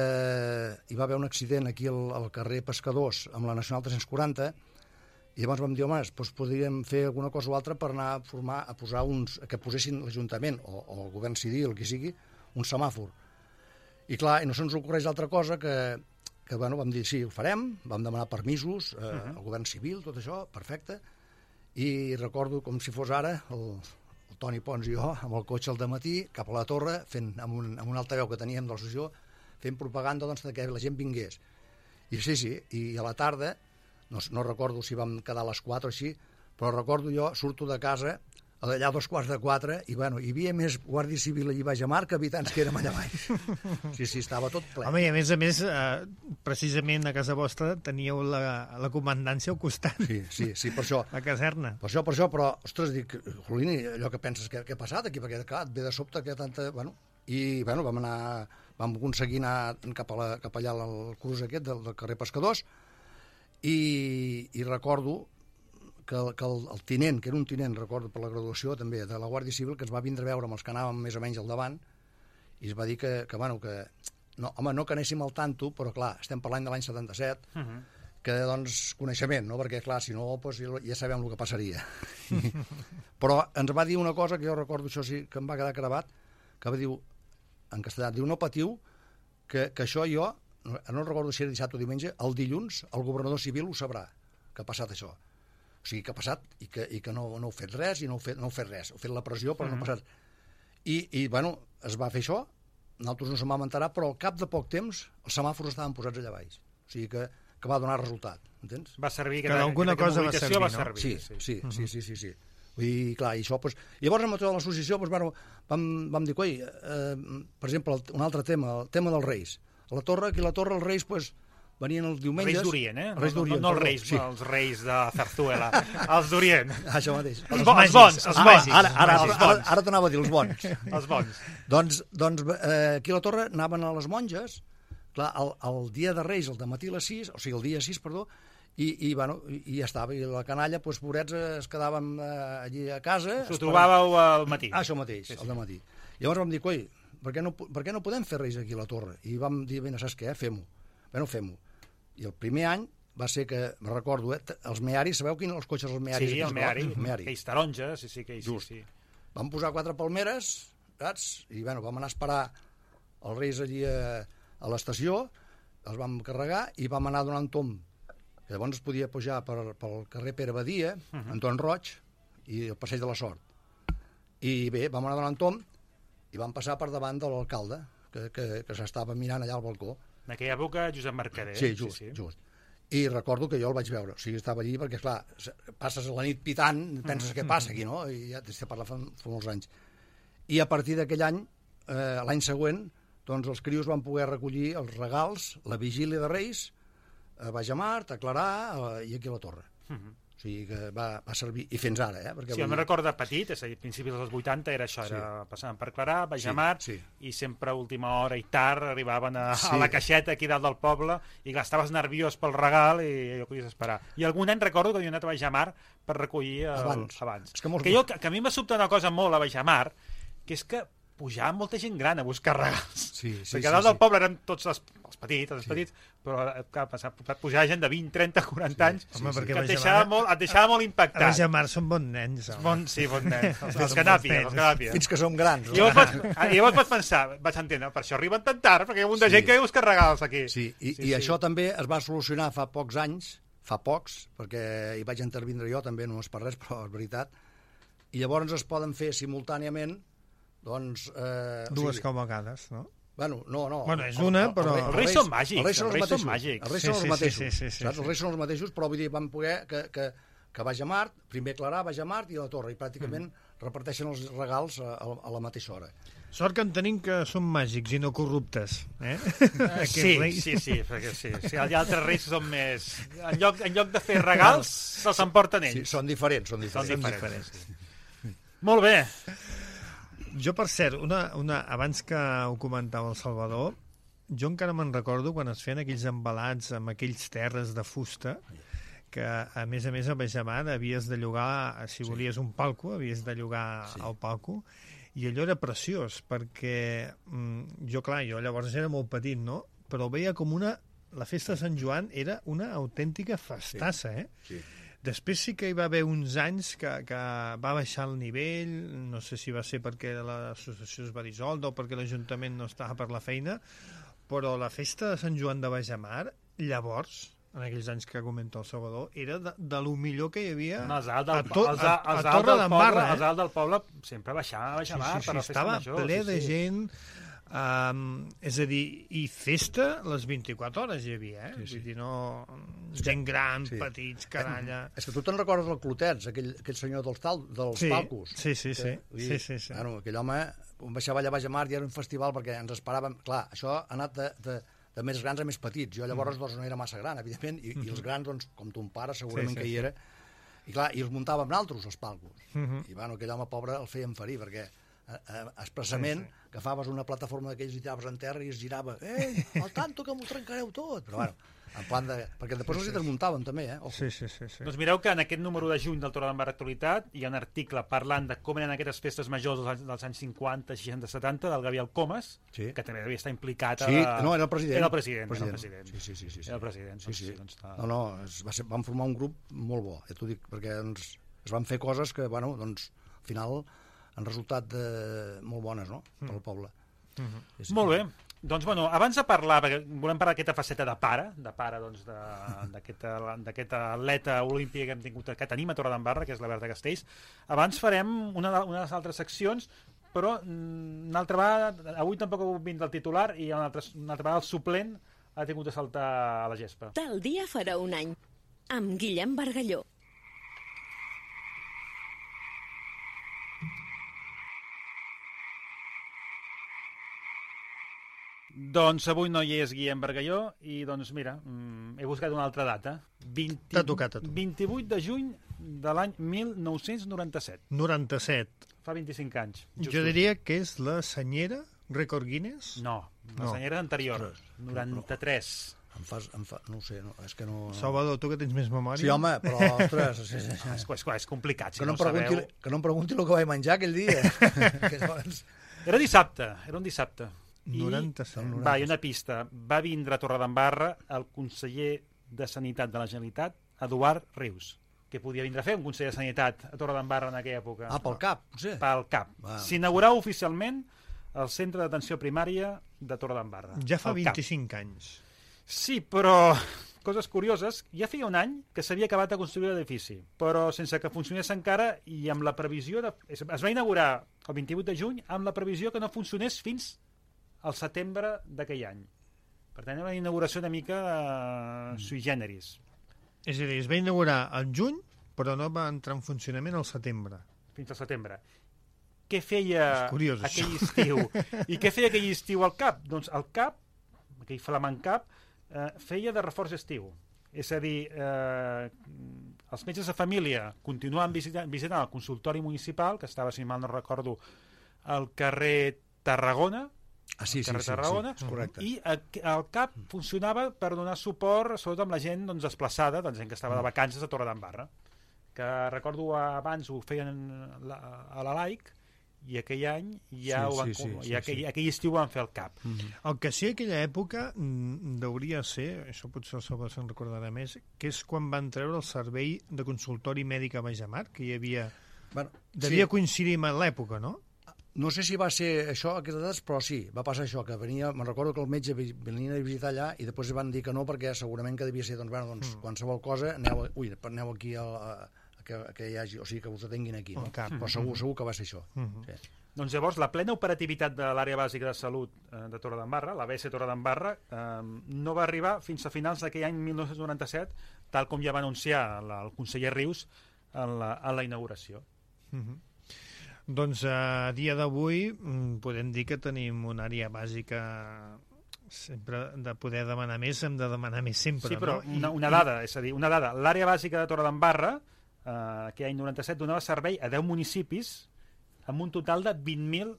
hi va haver un accident aquí al, al carrer Pescadors amb la Nacional tres-cents quaranta, i llavors vam dir, home, doncs podríem fer alguna cosa o altra per anar a formar, a posar uns, que posessin l'Ajuntament o, o el govern civil, el que sigui, un semàfor. I clar, i no se'ns ocorreix altra cosa que, que bueno, vam dir, sí, ho farem, vam demanar permisos eh, uh -huh. al govern civil, tot això, perfecte, i recordo com si fos ara el, el Toni Pons i jo amb el cotxe al dematí cap a la torre fent, amb, un, amb un altaveu que teníem de l'associació, fent propaganda doncs, que la gent vingués. I sí, sí, i a la tarda no, no recordo si vam quedar a les quatre o així, però recordo jo, surto de casa allà a dos quarts de quatre, i bueno, hi havia més Guàrdia Civil allà a Bajamar que habitants que érem allà baix. Sí, sí, estava tot ple. Home, i a més a més, eh, precisament a casa vostra teníeu la, la comandància al costat. Sí, sí, sí, per això. La caserna. Per això, per això, però, ostres, dic, Jolini, allò que penses que, que ha passat aquí, perquè, clar, et ve de sobte que tanta... Bueno, i, bueno, vam anar, vam aconseguir anar cap, a la, cap allà al curs aquest del, del carrer Pescadors, i, i recordo que, el, que el, el tinent, que era un tinent, recordo per la graduació també, de la Guàrdia Civil, que ens va vindre a veure amb els que anàvem més o menys al davant, i es va dir que, que bueno, que... No, home, no que anéssim al tanto, però clar, estem parlant de l'any setanta-set, uh -huh. que, doncs, coneixement, no? Perquè, clar, si no, doncs, ja sabem el que passaria. Però ens va dir una cosa que jo recordo, això sí, que em va quedar gravat, que va dir, en castellà, diu, no patiu, que, que això jo, no, no recordo si era dissabte o diumenge, el dilluns el governador civil ho sabrà, que ha passat això. O sigui, que ha passat i que, i que no, no heu fet res, i no heu fet, no heu fet res. Heu fet la pressió, però uh -huh. no ha passat. I, I, bueno, es va fer això, nosaltres no se'n vam enterar, però al cap de poc temps els semàfors estaven posats allà baix. O sigui que, que va donar resultat, entens? Va servir, que, que d'alguna cosa va servir, va no? servir, sí, sí, sí, uh -huh. sí, sí, sí, sí. Vull dir, clar, i això, doncs... Llavors, amb tota l'associació, doncs, bueno, vam, vam dir, coi, eh, per exemple, un altre tema, el tema dels Reis. A la Torre, aquí a la Torre, els Reis, doncs, venien els diumenges... Reis d'Orient, eh? Reis no, no, no els Reis, sí. els Reis de Zarzuela, els d'Orient. Això mateix. Els, bo, els bons, els bons. Ara, ara, ara, ara, ara t'anava a dir els bons. Els bons. doncs, doncs eh, aquí a la Torre anaven a les monges, clar, el, el dia de Reis, el dematí a les sis, o sigui, el dia sis, perdó, i, i, bueno, i, i ja estava, i la canalla, doncs, pobrets, es quedaven eh, allí a casa... S'ho trobàveu al matí. Ah, això mateix, sí, sí. al matí. Llavors vam dir, coi, per què, no, per què no podem fer Reis aquí a la Torre? I vam dir, bé, saps què, fem-ho. Bé, no fem-ho. I el primer any va ser que, me recordo, eh, els mearis, sabeu quins els cotxes, els mearis? Sí, el meari, el meari. aquells taronges, sí, sí, que sí, sí. Vam posar quatre palmeres, saps? I, bueno, vam anar a esperar els Reis allí a, a l'estació, els vam carregar i vam anar donant tom. Que llavors es podia pujar per, pel carrer Pere Badia, uh -huh. Anton Roig, i el Passeig de la Sort. I bé, vam anar donant tom i vam passar per davant de l'alcalde, que, que, que s'estava mirant allà al balcó. En aquella època, Josep Mercader. Sí, just, sí, sí. just. I recordo que jo el vaig veure, o sigui, estava allí perquè, clar, passes la nit pitant, penses què passa aquí, no? I ja t'estic parlant fa, fa molts anys. I a partir d'aquell any, eh, l'any següent, doncs els crios van poder recollir els regals, la vigília de Reis, a Bajamart, a Clarà eh, i aquí a la Torre. Uh-huh. O sigui que va, va servir, i fins ara, eh? Perquè sí, jo me'n recordo de petit, és a dir, a principis dels vuitanta era això, sí. Era passant per Clarà, Bajamart, sí, sí. I sempre a última hora i tard arribaven a, sí. a la caixeta aquí dalt del poble i clar, estaves nerviós pel regal i allò podies esperar. I algun any recordo que havia anat a Bajamart per recollir el, abans. abans. Que, molts... que, jo, que a mi m'ha sobtat una cosa molt a Bajamart, que és que pujava molta gent gran a buscar regals. Sí, sí, perquè dalt sí, del poble érem tots els, els petits, els sí. petits, però clar, pujar gent de vint, trenta, quaranta sí, anys, sí, home, sí, que et deixava, molt, et deixava molt impactat. A Bajamart són bons nens. Bon, sí, bons nens. Els, els canàpies, els canàpies. Fins que som grans. I llavors, vaig, I llavors vaig pensar, vaig entendre, per això arriben tan tard, perquè hi ha un de sí. gent que busca regals aquí. Sí, i, sí, i sí. això també es va solucionar fa pocs anys, fa pocs, perquè hi vaig intervindre jo també, no és per res, però és veritat, i llavors es poden fer simultàniament doncs... Eh, dues o sigui, cavalcades, no? Bueno, no, no. Bueno, és una, però... Els reis són màgics. Els reis són els mateixos. Màgics. Els reis són els mateixos, saps? Els reis són els mateixos, però vull dir, van poder que, que, que Bajamart, primer Clarà, Bajamart i la Torre, i pràcticament mm. reparteixen els regals a, a la mateixa hora. Sort que en tenim que són màgics i no corruptes, eh? Uh, sí, sí, sí, perquè sí. sí. Els altres reis són més... En lloc, en lloc de fer regals, se'ls emporten ells. Sí, són diferents, són diferents. Són diferents. Sí. Molt bé. Jo, per cert, una, una, abans que ho comentava el Salvador, jo encara me'n recordo quan es feien aquells embalats amb aquells terres de fusta, que a més a més a Bajamart havies de llogar, si volies un palco, havies de llogar sí. el palco, i allò era preciós, perquè mm, jo, clar, jo llavors era molt petit, no? Però veia com una... La festa de Sant Joan era una autèntica festassa, eh? Sí. Després sí que hi va haver uns anys que, que va baixar el nivell, no sé si va ser perquè l'associació es va dissoldre o perquè l'Ajuntament no estava per la feina, però la festa de Sant Joan de Bajamart, llavors, en aquells anys que comenta el Salvador, era de, de lo millor que hi havia no, a, del, a, to, els, a, a, a Torre d'en Barra. Els alt del poble sempre baixava a Bajamart sí, sí, sí, per la festa estava major. Estava ple sí, de sí. gent... Um, és a dir, i festa les vint-i-quatre hores hi havia, eh? Sí, sí. Vull dir, no... gent gran, sí. petits, canalla... És que tu te'n recordes el Clotets, aquell, aquell senyor dels, tal, dels sí, palcos? Sí, sí, sí. Que, dir, sí, sí, sí. Bueno, aquell home baixava allà a Bajamart i era un festival perquè ens esperàvem... Clar, això ha anat de, de, de més grans a més petits. Jo llavors mm. doncs, no era massa gran, evidentment, i, mm -hmm. i els grans, doncs, com ton pare, segurament sí, sí, que hi era. I clar, i els muntàvem naltros, els palcos. Mm -hmm. I bueno, aquell home pobre el feien ferir, perquè expressament sí, sí. agafaves una plataforma d'aquells i tiraves en terra i es girava ei, al tanto que m'ho trencareu tot però bueno, en plan de... perquè després els hi desmuntaven també, eh? Sí, sí, sí, sí. Doncs mireu que en aquest número de juny del Torre d'en Barra Actualitat hi ha un article parlant de com eren aquestes festes majors dels anys, dels anys cinquanta, seixanta, setanta del Gabriel Comas, sí. que també devia estar implicat a... Sí, no, era el president. Era el president, president. Era el president. Sí, sí, sí, sí, sí. Era el president. Sí, sí. Doncs, doncs, està... No, no, es va ser, vam formar un grup molt bo, ja t'ho dic, perquè doncs, es van fer coses que, bueno, doncs, al final han resultat de... molt bones, no?, pel poble. Mm -hmm. sí, molt bé. Doncs, bueno, abans de parlar, perquè volem parlar d'aquesta faceta de pare, de pare, doncs, d'aquest atleta olímpic que hem tingut, que tenim a Torredembarra, que és la Berta Castells, abans farem una de, una de les altres seccions, però una altra vegada, avui tampoc ha vingut del titular, i una altra, una altra vegada el suplent ha tingut de saltar a la gespa. Tal dia farà un any, amb Guillem Bargalló. Doncs avui no hi és Guillem Bargalló i doncs mira, mm, he buscat una altra data. vint, T'ha tocat a tu. vint-i-vuit de juny de l'any mil nou-cents noranta-set. noranta-set. Fa vint-i-cinc anys. Justos. Jo diria que és la senyera Rècord Guinness? No, la no. senyera anterior, noranta-tres. Em fas, em fa, no ho sé, no, és que no... Salvador, tu que tens més memòria? Sí, home, però, ostres... Sí, sí, sí. És, és, és complicat, si que no, no ho sabeu. Pregunti, que no em pregunti el que vaig menjar aquell dia. que llavors... Era dissabte, era un dissabte. noranta-set. I, va, hi ha una pista. Va vindre a Torredembarra el conseller de Sanitat de la Generalitat, Eduard Rius, que podia vindre a fer un conseller de Sanitat a Torredembarra en aquella època. Ah, pel CAP, potser? Pel CAP. S'inaugurava oficialment el Centre d'Atenció Primària de Torredembarra. Ja fa vint-i-cinc anys. Sí, però... Coses curioses, ja feia un any que s'havia acabat de construir l'edifici, però sense que funcionés encara i amb la previsió de... Es va inaugurar el vint-i-vuit de juny amb la previsió que no funcionés fins al setembre d'aquell any. Per tant, era una inauguració una mica uh, sui generis. És a dir, es va inaugurar al juny, però no va entrar en funcionament al setembre. Fins al setembre. Què feia curiós, aquell estiu? I què feia aquell estiu al CAP? Doncs el CAP, aquell flamant CAP, eh, feia de reforç estiu. És a dir, eh, els metges de família continuaven visitant, visitant el consultori municipal, que estava, si mal no recordo, al carrer Tarragona, Ah, sí, sí, carrer sí, Tarragona, sí, correcte. I el CAP funcionava per donar suport, sobretot amb la gent doncs, desplaçada, doncs, gent que estava de vacances a Torredembarra, que recordo abans ho feien la, a la Laic, i aquell any ja sí, ho van, sí, sí, i sí, aquell, sí. aquell estiu van fer el CAP. Mm-hmm. El que sí, aquella època mm, hauria ser, això potser el Salvador se'n recordarà més, que és quan van treure el servei de consultori mèdic a Baixamar, que hi havia... Bueno, devia sí. coincidir amb l'època, no? No sé si va ser això, aquestes dades, però sí, va passar això, que venia, me'n recordo que el metge venia a visitar allà i després van dir que no, perquè segurament que devia ser, doncs, bueno, doncs, mm. qualsevol cosa, aneu, ui, aneu aquí a, a, a, que, a que hi hagi, o sigui, que us atenguin aquí, no? Cap. Però segur, segur que va ser això. Mm-hmm. Sí. Doncs llavors, la plena operativitat de l'àrea bàsica de salut eh, de Torredembarra, l'A B S Torredembarra, eh, no va arribar fins a finals d'aquell any mil nou-cents noranta-set, tal com ja va anunciar la, el conseller Rius en la, en la inauguració. Mm-hmm. Doncs a dia d'avui podem dir que tenim una àrea bàsica sempre de poder demanar més, hem de demanar més sempre, sí, però no? una, una dada, és a dir, una dada. L'àrea bàsica de Torredembarra, eh, aquell any noranta-set, donava servei a deu municipis amb un total de vint mil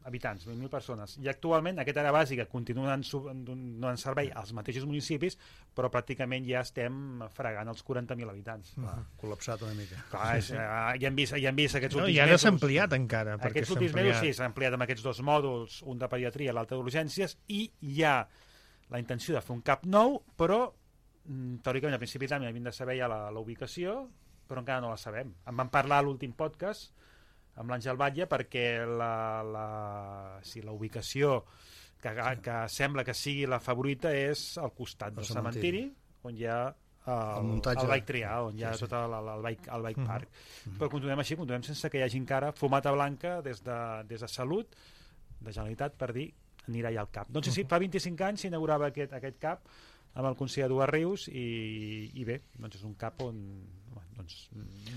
habitants, vint mil persones. I actualment aquesta àrea bàsica continua donant servei als mateixos municipis, però pràcticament ja estem fregant els quaranta mil habitants. Clar, col·lapsat una mica. Clar, és, eh, ja hem vist, ja hem vist aquests no, últims i ara mesos... s'ha ampliat encara. Aquests últims mesos sí, s'ha ampliat amb aquests dos mòduls, un de pediatria i l'altre d'urgències, i hi ha la intenció de fer un CAP nou, però teòricament a principi d'any hem de saber ja la, la ubicació, però encara no la sabem. En vam parlar a l'últim podcast amb l'Àngel Batlle, perquè la, la, sí, la ubicació que, que sembla que sigui la favorita és al costat del cementiri, on hi ha el, el, el bike trial, on hi ha sí, sí. tot el, el, bike, el bike park. Mm-hmm. Però continuem així, continuem sense que hi hagi encara fumata blanca des de, des de Salut, de Generalitat, per dir anirà ja al CAP. Doncs sí, fa vint-i-cinc anys s'inaugurava aquest, aquest CAP amb el conseller Eduard Rius i, i bé, doncs és un CAP on doncs,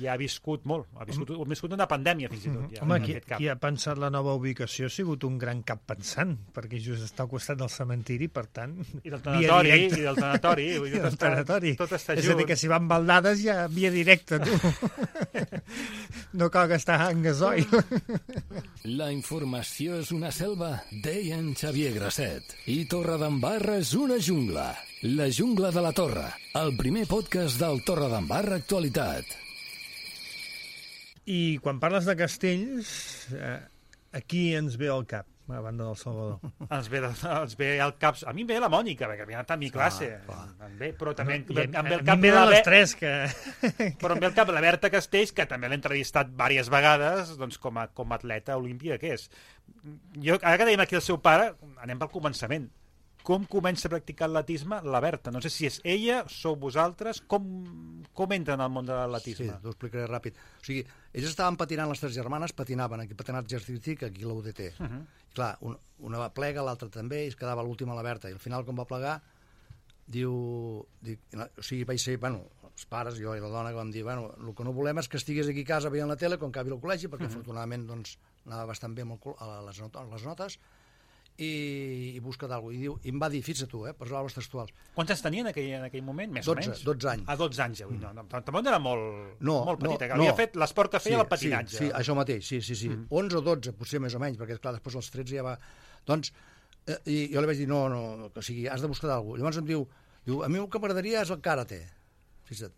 ja ha viscut molt, ha viscut, ha viscut una pandèmia fins i tot. Ja, home, qui, qui ha pensat la nova ubicació ha sigut un gran cap pensant, perquè just està al costat del cementiri, per tant... I del tanatori, i del tanatori. I del està, tanatori. Tot està és a dir, que si van baldades ja via directa, tu. No cal gastar en gasoil. La informació és una selva, deia en Xavier Grasset. I Torredembarra és una jungla. La jungla de la Torre, el primer podcast del Torredembarra Actualitat. I quan parles de castells, eh, aquí ens ve al cap, a banda del Salvador. Ens ve, ens ve al cap... A mi em ve la Mònica, perquè havia anat a mi classe. Ah, em ve, però també em ve, em ve el cap... Em ve de les tres, que... Però em ve el cap la Berta Castells, que també l'he entrevistat diverses vegades doncs, com, a, com a atleta olímpica que és. Jo, ara que dèiem aquí el seu pare, anem pel començament. Com comença a practicar l'atletisme la Berta? No sé si és ella, sou vosaltres, com, com entra en el món de l'atletisme? Sí, t'ho explicaré ràpid. O sigui, ells estaven patinant, les tres germanes patinaven, aquí patinat artístic, aquí a l'U D T. Uh -huh. I clar, un, una va plega, l'altra també, i es quedava l'última a la Berta. I al final, quan va plegar, diu... dic, o sigui, vaig ser, bueno, els pares, jo i la dona, que vam dir, bueno, el que no volem és que estigués aquí a casa veient la tele quan acabi el col·legi, perquè uh -huh. afortunadament doncs, anava bastant bé amb el, a les, not les notes, i, i busca d'algú. I, diu, i em va dir, fixa't tu, eh, per paraules textuals. Quants anys tenia en aquell, en aquell moment, més dotze, o menys? dotze anys. Ah, dotze anys, avui. No, no, tampoc era molt, no, molt petita, no, que havia no. fet l'esport que feia sí, el patinatge. Sí, sí, això mateix, sí, sí, sí. Mm. onze o dotze, potser més o menys, perquè, clar, després els tretze ja va... Doncs, eh, i jo li vaig dir, no, no, o sigui, has de buscar d'algú. Llavors em diu, diu, a mi el que m'agradaria és el karate. Fixa't.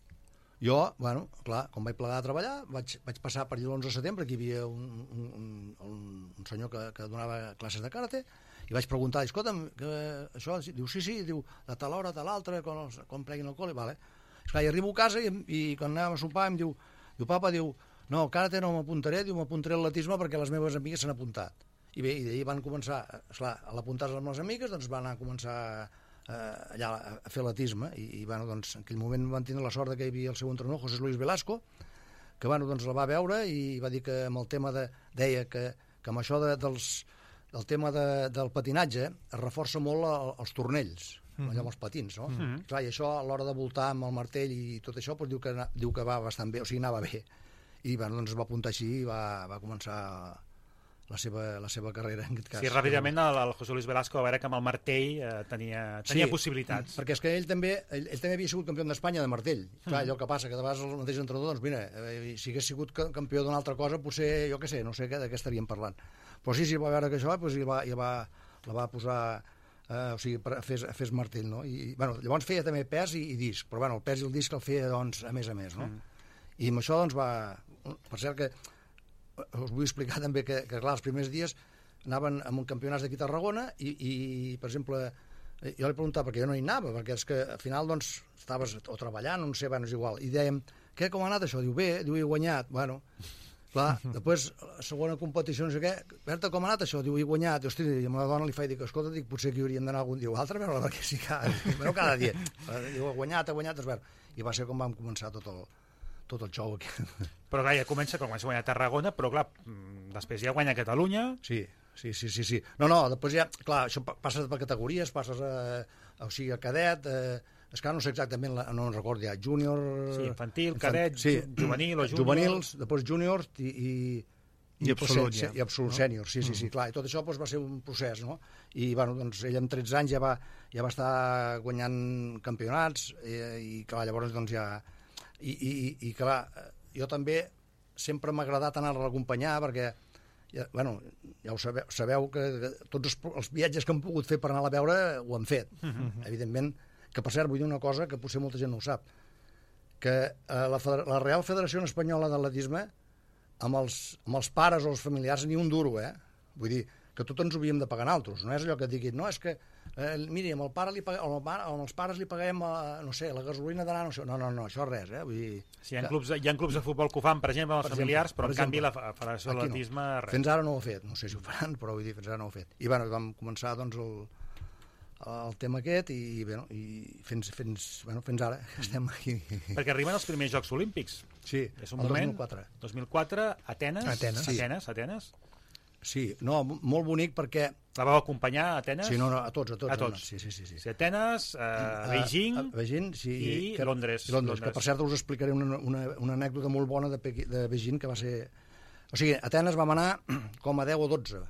Jo, bueno, clar, quan vaig plegar a treballar, vaig, vaig passar per allà l'onze de setembre, aquí hi havia un, un, un, un senyor que, que donava classes de karate, i vaig preguntar, escolta'm, que això... Diu, sí, sí, diu, de tal hora, tal altra, quan, quan pleguin el col·le, vale. Esclar, i arribo a casa i, i quan anàvem a sopar em diu, diu, papa, diu, no, karate no m'apuntaré, diu, m'apuntaré a l'atletisme perquè les meves amigues s'han apuntat. I bé, i d'ahir van començar, esclar, a l'apuntar-se amb les amigues, doncs van anar a començar eh, allà a fer l'atletisme, i, i bueno, doncs, en aquell moment van tenir la sort que hi havia el seu entrenador, José Luis Velasco, que bueno, doncs la va veure i va dir que amb el tema de... deia que, que amb això de, dels... el tema de, del patinatge es reforça molt el, els tornells. mm-hmm. allò amb els patins, no? Mm-hmm. Clar, i això, a l'hora de voltar amb el martell i tot això, doncs diu que, diu que va bastant bé, o sigui, anava bé. I bueno, doncs es va apuntar així i va, va començar la seva, la seva carrera, en aquest cas. Sí, ràpidament el, el José Luis Velasco va veure que amb el martell eh, tenia, tenia sí, possibilitats. Perquè és que ell també, ell, ell també havia sigut campió d'Espanya de martell. Clar, allò que passa, que de vegades el mateix entrenador, doncs mira, eh, si hagués sigut campió d'una altra cosa, potser, jo què sé, no sé de què estaríem parlant. Però sí, sí, va veure que això, doncs, i va, i va, la va posar, eh, o sigui, fes, fes martell, no? I, bueno, llavors feia també pes i, i disc, però bueno, el pes i el disc el feia, doncs, a més a més, no? Mm. I amb això, doncs, va... Per cert que us vull explicar també que, que clar, els primers dies anaven amb un campionat d'aquí a Tarragona i, i, per exemple, jo li preguntava, perquè jo no hi anava, perquè és que al final, doncs, estaves o treballant, no sé, bueno, és igual, i dèiem, què, com ha anat això? Diu, bé, diu, he guanyat, bueno, clar, després, la segona competició, no sé què, Berta, com ha anat això? Diu, he guanyat, i, hosti, i a la dona li faig, dic, escolta, dic, potser que hi hauríem d'anar algun dia o altre a veure-la, perquè sí, cada, bueno, cada dia, diu, he guanyat, he guanyat, es veu, i va ser com vam començar tot el, tot el xou aquí. Però clar, ja comença, com comença a guanyar Tarragona, però clar, després ja guanya Catalunya. Sí, sí, sí, sí, sí. No, no, després ja, clar, això passes per categories, passes a, a o sigui, a cadet, eh, és que no sé exactament, la, no en recordo ja, júnior... Sí, infantil, cadet, sí, juvenil o júnior... Juvenils, després júniors i... i I absolut, ja. I absolut, no? Sènior, sí, sí, sí, clar. I tot això doncs, va ser un procés, no? I, bueno, doncs, ell amb tretze anys ja va, ja va estar guanyant campionats i, i clar, llavors, doncs, ja... I, i, i clar, jo també sempre m'ha agradat anar-la a acompanyar perquè, ja, bueno, ja ho sabeu, sabeu que, que tots els, els viatges que hem pogut fer per anar a veure ho han fet, mm-hmm. evidentment, que per cert vull dir una cosa que potser molta gent no ho sap, que eh, la, la Real Federació Espanyola d'Atletisme amb els, amb els pares o els familiars ni un duro, eh? Vull dir, que tot ens ho havíem de pagar nosaltres, no és allò que et diguin, no, és que eh, miri, amb el pare li paguem, amb, el, amb els pares li paguem, eh, no sé, la gasolina d'anar, no sé, no, no, no, això res, eh? Vull dir... Sí, hi ha, clubs, hi ha clubs de futbol que ho fan, per exemple, amb els per familiars, exemple, però en canvi la Federació d'Atletisme... No. Fins ara no ho ha fet, no sé si ho faran, però vull dir, fins ara no ho ha fet. I bueno, vam començar, doncs, el, el tema aquest i, bueno, i fins, fins, bueno, fins ara estem aquí. Perquè arriben els primers Jocs Olímpics. Sí, és un el moment, dos mil quatre. dos mil quatre, Atenes. Atenes, sí. Atenes, Atenes. Sí, no, molt bonic perquè... La vau acompanyar a Atenes? Sí, no, no, a tots, a tots. A tots. Sí, sí, sí, sí. sí Atenes, uh, Beijing, a, a Beijing sí, i que, Londres. I Londres, que per cert us explicaré una, una, una anècdota molt bona de, Pequi, de Beijing, que va ser... O sigui, a Atenes vam anar com a deu o dotze,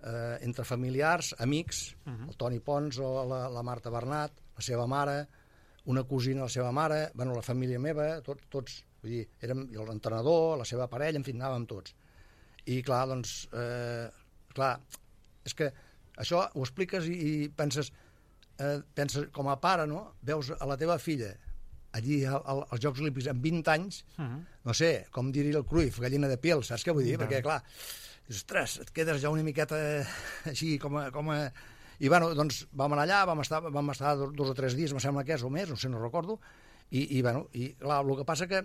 eh, entre familiars, amics, uh-huh. el Toni Pons o la, la Marta Bernat, la seva mare, una cosina de la seva mare, bueno, la família meva, tot, tots, vull dir, érem l'entrenador, la seva parella, en fi, anàvem tots. I clar, doncs... Eh, clar, és que això ho expliques i, i penses, eh, penses com a pare, no? Veus a la teva filla allí al, al, als Jocs Olímpics amb vint anys, uh-huh. no sé, com diria el Cruyff, gallina de piel, saps què vull dir? Uh-huh. Perquè, clar, dius, ostres, et quedes ja una miqueta així com a... Com a... I, bueno, doncs vam anar allà, vam estar, vam estar dos o tres dies, em sembla que és, o més, no sé, no recordo, i, i bueno, i clar, el que passa que,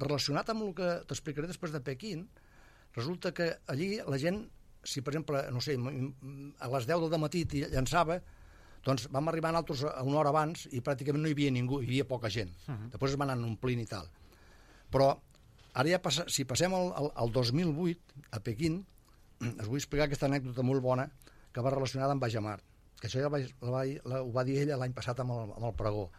relacionat amb el que t'explicaré després de Pequín, resulta que allí la gent, si per exemple, no sé, a les deu del matí llançava, doncs vam arribar nosaltres una hora abans i pràcticament no hi havia ningú, hi havia poca gent. Uh-huh. Després es van anar omplint i tal. Però ara ja passa, si passem al, al, al dos mil vuit, a Pequín, us vull explicar aquesta anècdota molt bona que va relacionada amb Bajamar, que això ja la, la, la, ho va dir ella l'any passat amb el, amb el pregó.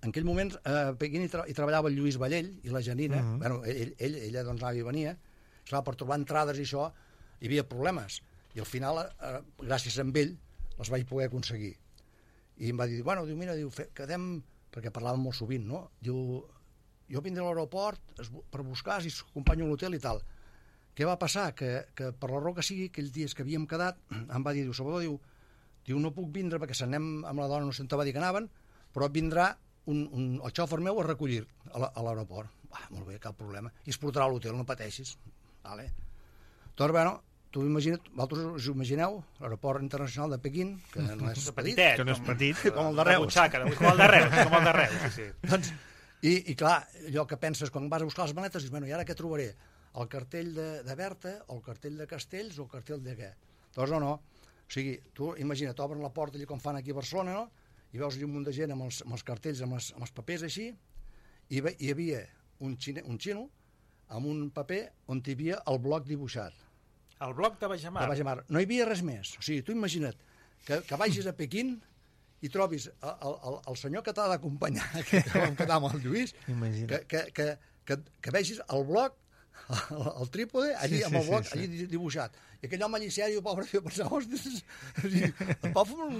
En aquell moment a Pequín hi, tra hi treballava el Lluís Vallell i la Janina, uh-huh. bueno, ell, ell, ella doncs anava i venia, clar, per trobar entrades i això hi havia problemes, i al final eh, gràcies a ell les vaig poder aconseguir. I em va dir, bueno, diu, mira, diu, fe, quedem, perquè parlàvem molt sovint, no? Diu, jo vindré a l'aeroport per buscar si s'acompanyo a l'hotel i tal. Què va passar? Que, que per la raó que sigui, aquells dies que havíem quedat, em va dir, diu, Salvador, diu, diu no puc vindre perquè se n'anem amb la dona, no sé on te va dir que anaven, però vindrà un, un, el xòfer meu a recollir a l'aeroport. Ah, molt bé, cap problema. I es portarà a l'hotel, no pateixis. Vale. Doncs, bueno, tu imagina't, vosaltres us imagineu l'aeroport internacional de Pequín, que no és petit, que no és petit, com el de Reus. Butxaca, com el de Reus, com el de Reus, sí, sí. Doncs, i, i clar, allò que penses quan vas a buscar les maletes, dius, bueno, i ara què trobaré? El cartell de, de Berta, o el cartell de Castells, o el cartell de què? Doncs no, no. O sigui, tu imagina't, obren la porta allà com fan aquí a Barcelona, no? I veus un munt de gent amb els, amb els cartells, amb els, amb els papers així, i ve, hi havia un, xine, un xino amb un paper on hi havia el bloc dibuixat. El bloc de Bajamar? De Bajamar. No hi havia res més. O sigui, tu imagina't que, que vagis a Pequín i trobis el, el, el senyor que t'ha d'acompanyar, que, que vam quedar amb el Lluís, que, que, que, que, que vegis el bloc, el, el trípode, allí sí, amb el bloc, sí, sí, allí dibuixat. I aquell home allí sèrio, pobre, jo pensava, ostres, el poble,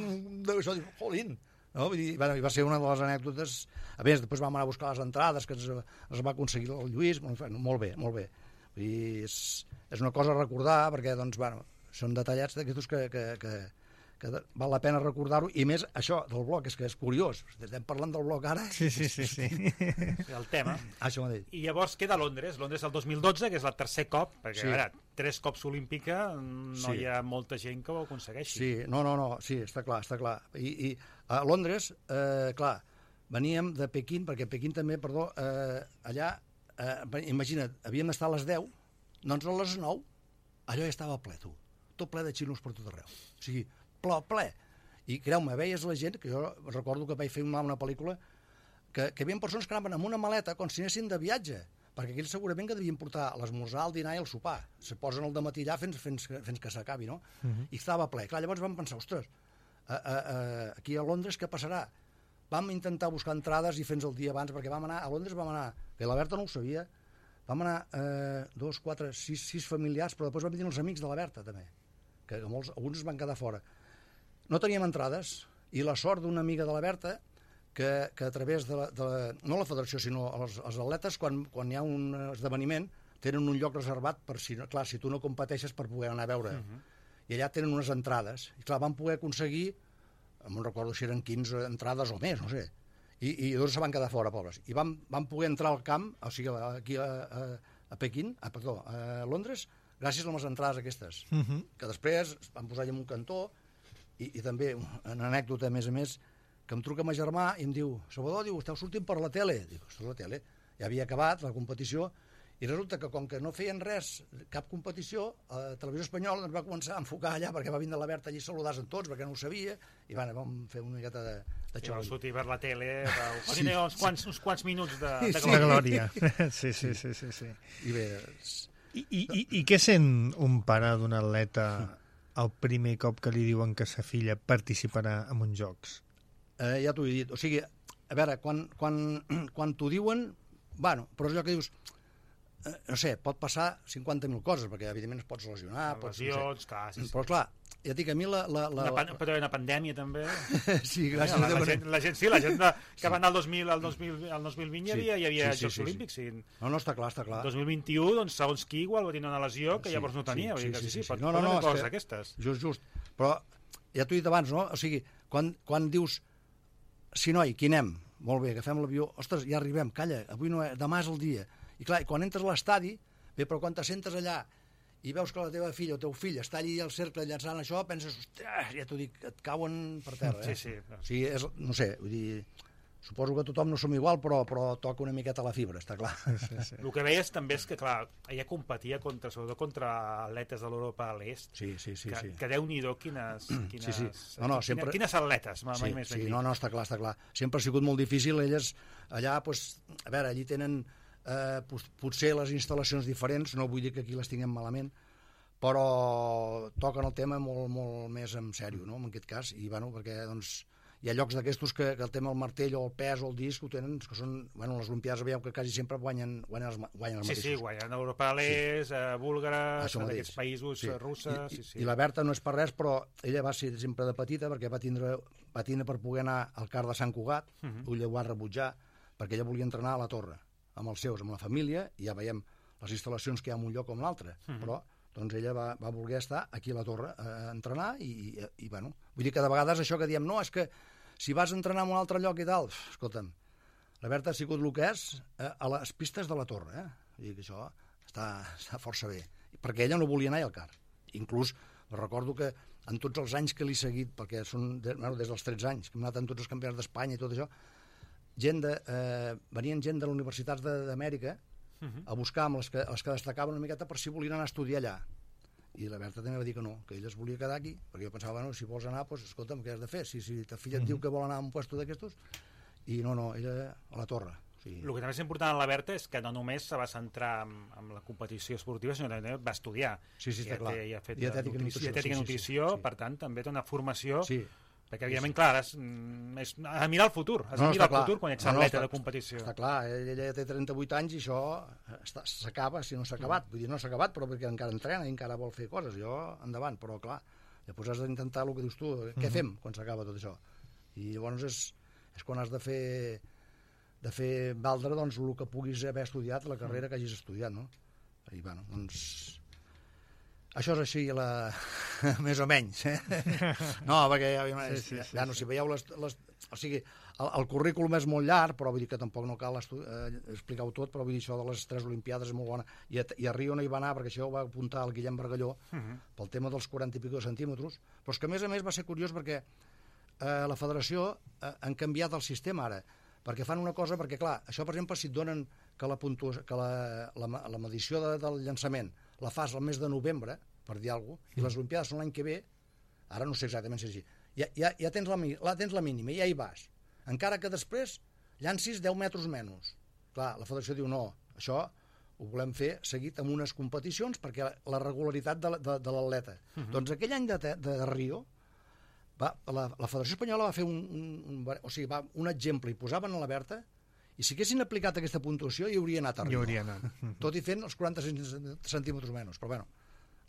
això, jolín. No? Vull dir, bueno, va ser una de les anècdotes. A més, després vam anar a buscar les entrades que es, es va aconseguir el Lluís. Molt bé, molt bé. Vull dir, és, és una cosa a recordar, perquè doncs, bueno, són detallats d'aquests que, que, que, que val la pena recordar-ho, i més això del bloc, és que és curiós, estem parlant del bloc ara. Sí, sí, sí. sí. El tema. Això mateix. I llavors queda Londres, Londres el dos mil dotze, que és el tercer cop, perquè, sí. a veure, tres cops olímpica, no sí. hi ha molta gent que ho aconsegueixi. Sí, no, no, no, sí, està clar, està clar. I, i a Londres, eh, clar, veníem de Pequín, perquè Pequín també, perdó, eh, allà, eh, imagina't, havíem d'estar a les deu, doncs a les nou, allò ja estava ple, tu. Tot ple de xinos per tot arreu. O sigui, ple, ple. I, creu-me, veies la gent, que jo recordo que vaig fer una, una pel·lícula, que, que hi havia persones que anaven amb una maleta com si anessin de viatge, perquè aquells segurament que devien portar l'esmorzar, el dinar i el sopar. Se posen al dematí allà fins, fins, fins que s'acabi, no? Uh-huh. I estava ple. Clar, llavors vam pensar, ostres, a, a, a, aquí a Londres què passarà? Vam intentar buscar entrades i fins el dia abans, perquè vam anar, a Londres vam anar, que la Berta no ho sabia, vam anar eh, dos, quatre, sis, sis familiars, però després vam venir els amics de la Berta, també, que molts, alguns es van quedar fora. No teníem entrades, i la sort d'una amiga de la Berta, que, que a través de la, de la, no la federació, sinó els, els atletes, quan, quan hi ha un esdeveniment, tenen un lloc reservat per si, clar, si tu no competeixes per poder anar a veure. Uh-huh. I allà tenen unes entrades. I clar, van poder aconseguir, no recordo si eren quinze entrades o més, no sé, i, i dos se van quedar fora, pobres. I van, van poder entrar al camp, o sigui, aquí a, a, a Pequín, a, perdó, a Londres, gràcies a les entrades aquestes, uh-huh. que després van posar allà en un cantó, i, i també una anècdota, a més a més, que em truca ma germà i em diu, Salvador, diu, esteu sortint per la tele. Dic, ostres, la tele? Ja havia acabat la competició, i resulta que com que no feien res, cap competició, a Televisió Espanyola ens va començar a enfocar allà, perquè va vindre la Berta allí a saludar en tots, perquè no ho sabia, i bueno, vam fer una miqueta de, de xou. Sí, sortir per la tele, sí. uns, quants, uns quants minuts de, de glòria. De glòria. Sí, sí, sí, sí, sí. I bé... I, i, i, I què sent un pare d'un atleta el primer cop que li diuen que sa filla participarà en uns jocs? Eh, ja t'ho he dit. O sigui, a veure, quan, quan, quan t'ho diuen, bueno, però és allò que dius, eh, no sé, pot passar cinquanta mil coses, perquè evidentment es pots lesionar, pots, lesions, no sé. clar, sí, sí. Però clar, ja et dic, a mi la... la, la... Una, pan, però una pandèmia també. Sí, gràcies. La, la, gent, la gent, sí, la gent de, que va anar al dos mil, al dos mil, al dos mil vint sí, hi havia, hi havia sí, sí, Jocs sí, Olímpics. Sí. Sí. No, no, està clar, està clar. dos mil vint-i-u, doncs, segons qui, igual va tenir una lesió que sí, llavors no tenia. Sí, sí, sí, sí, sí, sí. Pot, no, no, no, coses aquestes. Just, just. Però ja t'ho he dit abans, no? O sigui, quan, quan dius, sí, noi, qui anem? Molt bé, agafem l'avió, ostres, ja arribem, calla, avui no, demà és el dia. I clar, quan entres a l'estadi, bé, però quan te sentes allà i veus que la teva filla o teu fill està allí al cercle llançant això, penses, ostres, ja t'ho dic, et cauen per terra, eh? Sí, sí. O sigui, és, no sé, vull dir, suposo que tothom no som igual, però, però toca una miqueta la fibra, està clar. Sí, sí. El que veies també és que, clar, ella competia contra, sobretot contra atletes de l'Europa a l'est. Sí, sí, sí. Que, sí. que Déu-n'hi-do quines, quines, sí, sí. No, no, sempre... quines, quines atletes, mai sí, més sí, ben no, no, està clar, està clar. Sempre ha sigut molt difícil, elles allà, doncs, a veure, allí tenen eh, potser les instal·lacions diferents, no vull dir que aquí les tinguem malament, però toquen el tema molt, molt més en sèrio, no?, en aquest cas, i bueno, perquè doncs, hi ha llocs d'aquestos que, que el tema del martell o el pes o el disc ho tenen, que són, bueno, les Olimpiades veieu que quasi sempre guanyen, guanyen, els, guanyen els sí, mateixos. Sí, sí, guanyen Europa a l'est, sí. uh, búlgares, d'aquests països, sí. russes... I, sí, sí. I la Berta no és per res, però ella va ser sempre de petita, perquè va tindre, va tindre per poder anar al CAR de Sant Cugat, uh -huh. ella ho va rebutjar, perquè ella volia entrenar a la Torre, amb els seus, amb la família, i ja veiem les instal·lacions que hi ha en un lloc o en l'altre, uh -huh. però doncs ella va, va voler estar aquí a la Torre a entrenar i, i, i bueno, vull dir que de vegades això que diem, no, és que si vas a entrenar en un altre lloc i tal, escolta'm, la Berta ha sigut el que és eh, a les pistes de la Torre, eh? Vull dir que això està, està força bé, perquè ella no volia anar al CAR, inclús recordo que en tots els anys que l'he seguit, perquè són de, bueno, des dels tretze anys, que hem anat en tots els campionats d'Espanya i tot això, gent de, eh, venien gent de les universitats d'Amèrica a buscar amb les que, les que destacaven una miqueta per si volien anar a estudiar allà. I la Berta també va dir que no, que ella es volia quedar aquí, perquè jo pensava, bueno, si vols anar, doncs, escolta'm, què has de fer? Si, si ta filla et diu que vol anar a un puesto d'aquestos, i no, no, ella a la Torre. O sigui... El que també és important en la Berta és que no només se va centrar en, en la competició esportiva, sinó que també va estudiar. Sí, sí, està clar. I ha fet dietètica nutrició, i nutrició, dietètica sí, nutrició sí, sí, sí. Per tant, també té una formació sí. Perquè, evidentment, clar, és, és a mirar el futur, has de mirar el futur quan ets atleta de competició. Està clar, ella ja té trenta-vuit anys i això s'acaba, si no s'ha acabat. Vull dir, no s'ha acabat, però perquè encara entrena i encara vol fer coses. Jo, endavant, però clar, llavors has d'intentar el que dius tu, què fem quan s'acaba tot això? I llavors és, és quan has de fer de fer valdre doncs, el que puguis haver estudiat, la carrera que hagis estudiat, no? I, bueno, doncs... Això és així, la... més o menys. Eh? No, perquè sí, sí, sí, ja, no, si veieu les... les... O sigui, el, el currículum és molt llarg, però vull dir que tampoc no cal eh, explicar-ho tot, però vull dir això de les tres Olimpiades és molt bona. I a, i a Rio no hi va anar, perquè això ho va apuntar el Guillem Bargalló, uh -huh. pel tema dels quaranta i pico de centímetres, però és que a més a més va ser curiós perquè eh, la federació eh, han canviat el sistema ara, perquè fan una cosa, perquè clar, això per exemple si et donen que la, puntu... que la, la, la medició de, del llançament la fas al mes de novembre, per dir alguna cosa, i les Olimpiades són l'any que ve, ara no sé exactament si és així, ja, ja, ja tens, la, la, tens la mínima, ja hi vas, encara que després llancis deu metres menys. Clar, la federació diu no, això ho volem fer seguit amb unes competicions perquè la, la regularitat de, de, de l'atleta. Uh -huh. Doncs aquell any de, de Rio, va, la, la Federació Espanyola va fer un, un, un, o sigui, va, un exemple i posaven a la Berta i si haguessin aplicat aquesta puntuació hi hauria anat a Rio. Hauria anat. Tot i fent els quaranta centímetres menys, però bueno,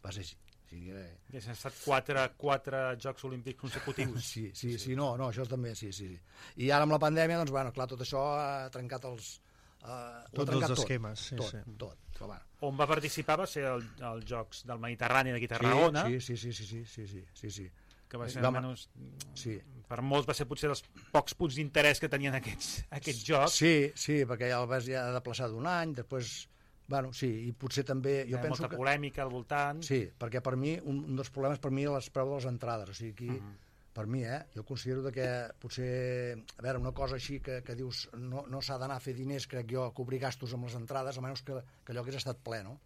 va ser així. Sí, eh... Ja s'han estat quatre, quatre Jocs Olímpics consecutius. Sí, sí, sí, sí, no, no, això també, sí, sí. I ara amb la pandèmia, doncs, bueno, clar, tot això ha trencat els... Uh, Tots trencat els esquemes. Sí, tot, sí. tot, tot, bueno. On va participar va ser el, els Jocs del Mediterrani d'aquí a Tarragona. Sí, sí, sí, sí, sí, sí, sí, sí, sí. Que va ser, almenys, sí. Per molts va ser potser dels pocs punts d'interès que tenien aquests, aquests jocs. Sí, sí, perquè ja el vas ja desplaçar d'un any, després... Bueno, sí, i potser també... Jo penso molta que... polèmica al voltant. Sí, perquè per mi, un, un dels problemes per mi és les preu de les entrades. O sigui, aquí, uh -huh. per mi, eh, jo considero que potser, a veure, una cosa així que, que dius no, no s'ha d'anar a fer diners, crec jo, a cobrir gastos amb les entrades, a menys que, que allò hagués estat ple, no?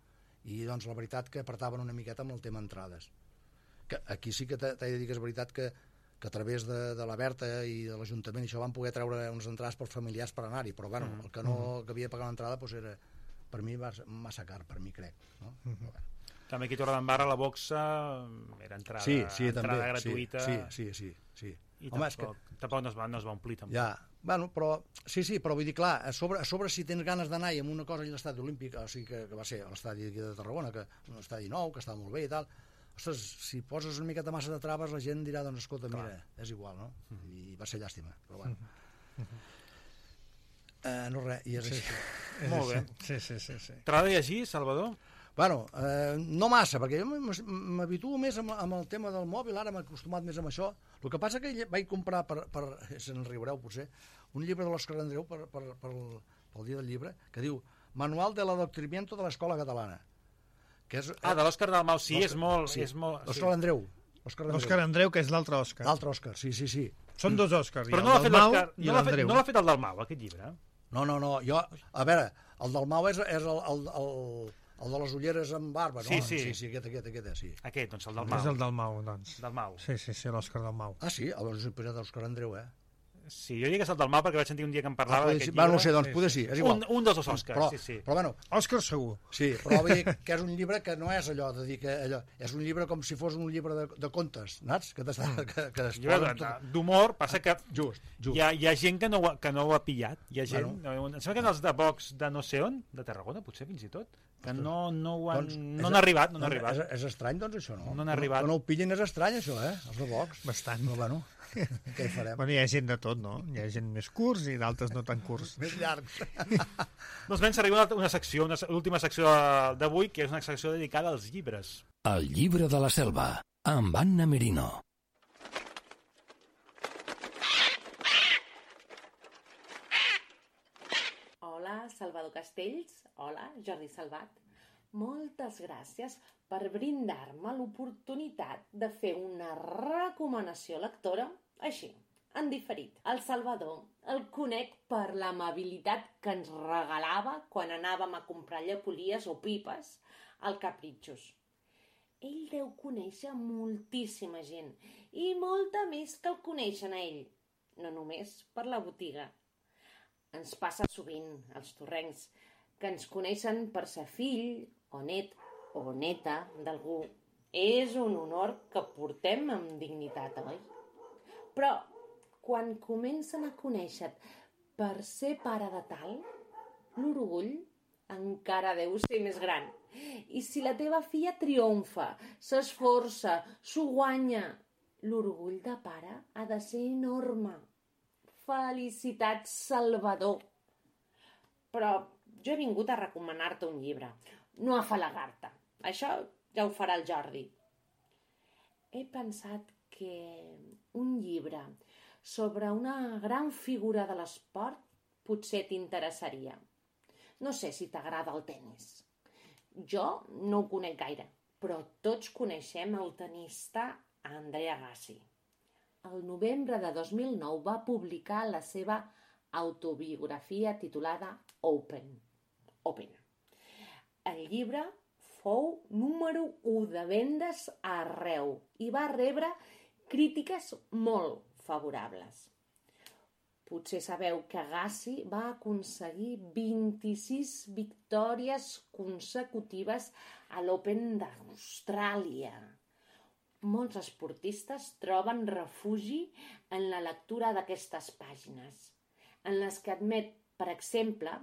I, doncs, la veritat que apretaven una miqueta amb el tema entrades. Que aquí sí que t'he de dir que és veritat que, que a través de, de la Berta i de l'Ajuntament això van poder treure unes entrades per familiars per anar-hi, però, bueno, uh -huh. el que no que havia de pagar una entrada, doncs era... per mi va massa car, per mi crec, no? Uh -huh. Bueno. També aquí a Torredembarra la boxa era entrada, sí, sí, entrada també, gratuïta. Sí, sí, sí, sí. I Home, tampoc, que... tampoc no es, va, no es va omplir, tampoc. Ja, bueno, però, sí, sí, però vull dir, clar, a sobre, a sobre si tens ganes d'anar i amb una cosa a l'estadi olímpic, o sigui, que, que va ser l'estadi de Tarragona, que un estadi nou, que estava molt bé i tal, ostres, si poses una miqueta massa de traves, la gent dirà, doncs, escolta, clar. Mira, és igual, no? Uh -huh. I va ser llàstima, però bueno. Uh -huh. Uh, no res, i és sí, així. Sí. Molt bé. Sí, sí, sí, sí. T'agrada llegir, Salvador? Bueno, eh, no massa, perquè jo m'habituo més amb, amb el tema del mòbil, ara m'he acostumat més amb això. El que passa que vaig comprar, per, per se'n riureu potser, un llibre de l'Òscar Andreu per, per, per, pel dia del llibre, que diu Manual de l'adoctrinamiento de l'Escola Catalana. Que és, ah, de l'Òscar Dalmau, sí, és molt... Sí. És molt Òscar sí. Andreu. Òscar Andreu, que és l'altre Òscar. L'altre Òscar, sí, sí, sí. Són dos Òscars, però el no Dalmau i l'Andreu. No l'ha fet el Dalmau, aquest llibre? No, no, no, jo... A veure, el Dalmau és, és el, el, el, el de les ulleres amb barba, no? Sí, sí. Sí, sí, aquest, aquest, aquest, sí. Aquest, doncs el Dalmau. És el Dalmau, doncs. Dalmau. Sí, sí, sí, l'Òscar Dalmau. Ah, sí? Llavors he posat l'Òscar Andreu, eh? Sí, jo dic que és el Dalmau perquè vaig sentir un dia que em parlava ah, d'aquest sí. llibre. Va, no sé, doncs sí, poder sí, és igual. Un, un dels dos Òscars, però, sí, sí. Però bueno... Òscar segur. Sí, però vull dir que és un llibre que no és allò de dir que allò... És un llibre com si fos un llibre de, de contes, saps? Que t'està... Que, que es tot... D'humor, passa que just, just. Hi, ha, hi ha gent que no, que no ho ha pillat. Hi ha gent... Bueno. Em sembla que els de Vox de no sé on, de Tarragona, potser fins i tot, que no, no ho han... Doncs no han arribat, no han arribat. És, és estrany, doncs, això, no? No han arribat. Que no ho pillin és estrany, això, eh? Els de Vox. Bastant. Però, bueno, què hi farem? Bueno, hi ha gent de tot, no? Hi ha gent més curts i d'altres no tan curts. Més llargs. Doncs ben, s'arriba una, una secció, una, l'última secció d'avui, que és una secció dedicada als llibres. El llibre de la selva, amb Anna Merino. Hola, Salvador Castells. Hola, Jordi Salvat. Moltes gràcies per brindar-me l'oportunitat de fer una recomanació lectora així, en diferit. El Salvador el conec per l'amabilitat que ens regalava quan anàvem a comprar llepolies o pipes al Capritxos. Ell deu conèixer moltíssima gent i molta més que el coneixen a ell, no només per la botiga. Ens passa sovint, als torrencs, que ens coneixen per ser fill o net o neta d'algú. És un honor que portem amb dignitat, oi? Però quan comencen a conèixer-te per ser pare de tal, l'orgull encara deu ser més gran. I si la teva filla triomfa, s'esforça, s'ho guanya, l'orgull de pare ha de ser enorme. Felicitats, Salvador! Però jo he vingut a recomanar-te un llibre, no a afalagar-te. Això ja ho farà el Jordi. He pensat que un llibre sobre una gran figura de l'esport potser t'interessaria. No sé si t'agrada el tennis. Jo no ho conec gaire, però tots coneixem el tenista Andre Agassi. El novembre de dos mil nou va publicar la seva autobiografia titulada Open. Open. El llibre fou número u de vendes arreu i va rebre crítiques molt favorables. Potser sabeu que Agassi va aconseguir vint-i-sis victòries consecutives a l'Open d'Austràlia. Molts esportistes troben refugi en la lectura d'aquestes pàgines, en les que admet, per exemple,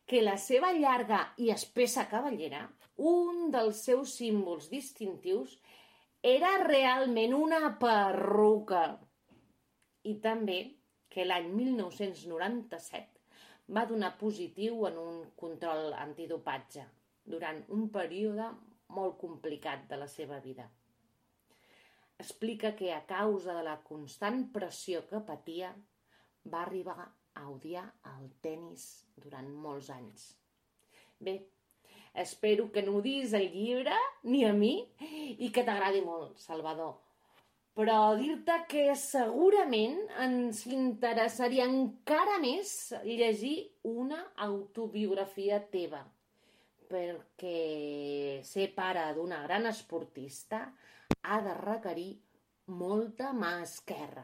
que la seva llarga i espessa cabellera, un dels seus símbols distintius, era realment una perruca. I també que l'any mil nou-cents noranta-set va donar positiu en un control antidopatge durant un període molt complicat de la seva vida. Explica que a causa de la constant pressió que patia va arribar a odiar el tennis durant molts anys. Bé, espero que no odiis el llibre, ni a mi, i que t'agradi molt, Salvador. Però dir-te que segurament ens interessaria encara més llegir una autobiografia teva, perquè ser pare d'una gran esportista ha de requerir molta mà esquerra.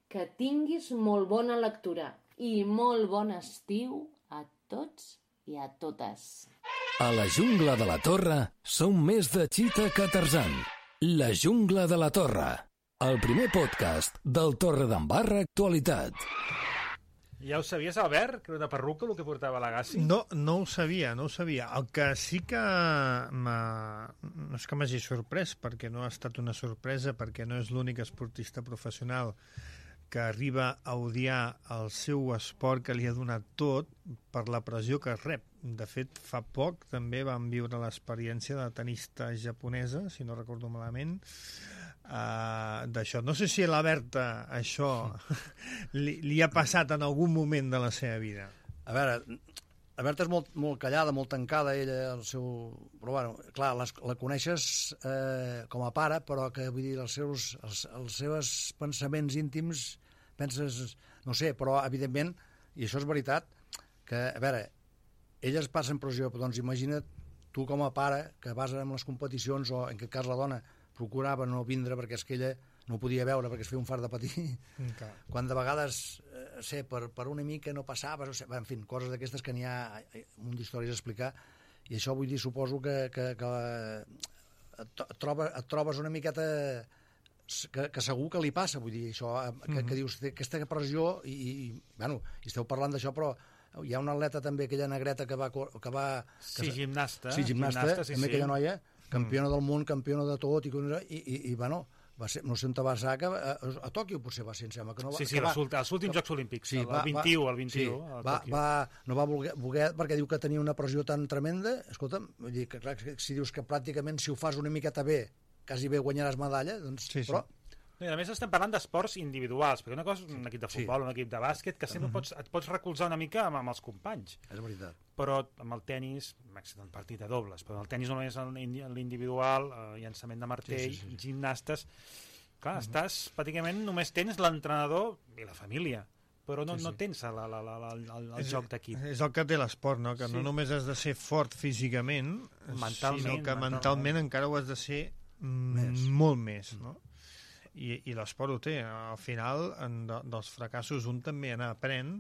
Que tinguis molt bona lectura i molt bon estiu a tots i a totes. A la jungla de la Torre som més de Cheetah que Tarzan. La jungla de la Torre, el primer podcast del Torredembarra Actualitat. Ja ho sabies, Albert, que era una perruca el que portava l'Agassi? No, no ho sabia, no ho sabia. El que sí que m'ha... no és que m'hagi sorprès, perquè no ha estat una sorpresa, perquè no és l'únic esportista professional que arriba a odiar el seu esport que li ha donat tot per la pressió que rep. De fet, fa poc també vam viure l'experiència de la tenista japonesa, si no recordo malament, uh, d'això. No sé si a la Berta això li, li ha passat en algun moment de la seva vida. A veure, la Berta és molt, molt callada, molt tancada, ella, el seu... Però, bueno, clar, les, la coneixes eh, com a pare, però que, vull dir, els seus, els, els seus pensaments íntims, penses, no sé, però, evidentment, i això és veritat, que, a veure, elles passen pressió, doncs imagina't tu com a pare, que vas en les competicions, o en aquest cas la dona procurava no vindre perquè és que ella no ho podia veure perquè es feia un fart de patir. Okay. Quan de vegades, eh, sé, per, per una mica no passaves, o sé, en fi, coses d'aquestes que n'hi ha un d'històries a explicar, i això vull dir, suposo que, que, que et, troba, et trobes una miqueta que, que segur que li passa, vull dir, això, que, mm-hmm. que dius, aquesta pressió, i, i, bueno, i esteu parlant d'això, però hi ha una atleta també, aquella negreta que va... Que va que sí, gimnasta. Sí, gimnasta, gimnasta sí, també sí. Aquella noia, campiona mm. del món, campiona de tot, i, i, i, i bueno, va ser, no sé on va ser, a, a, a Tòquio potser va ser, em sembla que no va... Sí, sí, va, els últims Jocs Olímpics, sí, el, va, el vint-i-u, el vint-i-u, sí, a va, Tòquio. Va, no va voler, voler, perquè diu que tenia una pressió tan tremenda, escolta'm, vull dir que clar, si dius que pràcticament si ho fas una miqueta bé, quasi bé guanyaràs medalla, doncs, sí, sí. Però... I a més estem parlant d'esports individuals, perquè una cosa és un equip de futbol, sí. un equip de bàsquet, que sempre uh-huh. pots, et pots recolzar una mica amb, amb els companys. És veritat. Però amb el tennis, m'excita un partit de dobles, però el tennis només l'individual, eh, llançament de martell, sí, sí, sí. gimnastes... Clar, uh-huh. estàs, pràcticament només tens l'entrenador i la família, però no, sí, sí. no tens la, la, la, la, el, el és, joc d'equip. És el que té l'esport, no? Que sí. no només has de ser fort físicament, mentalment, sinó que mentalment, mentalment encara ho has de ser més. molt més, no? I, i l'esport ho té. Al final, en de, dels fracassos, un també n'aprèn,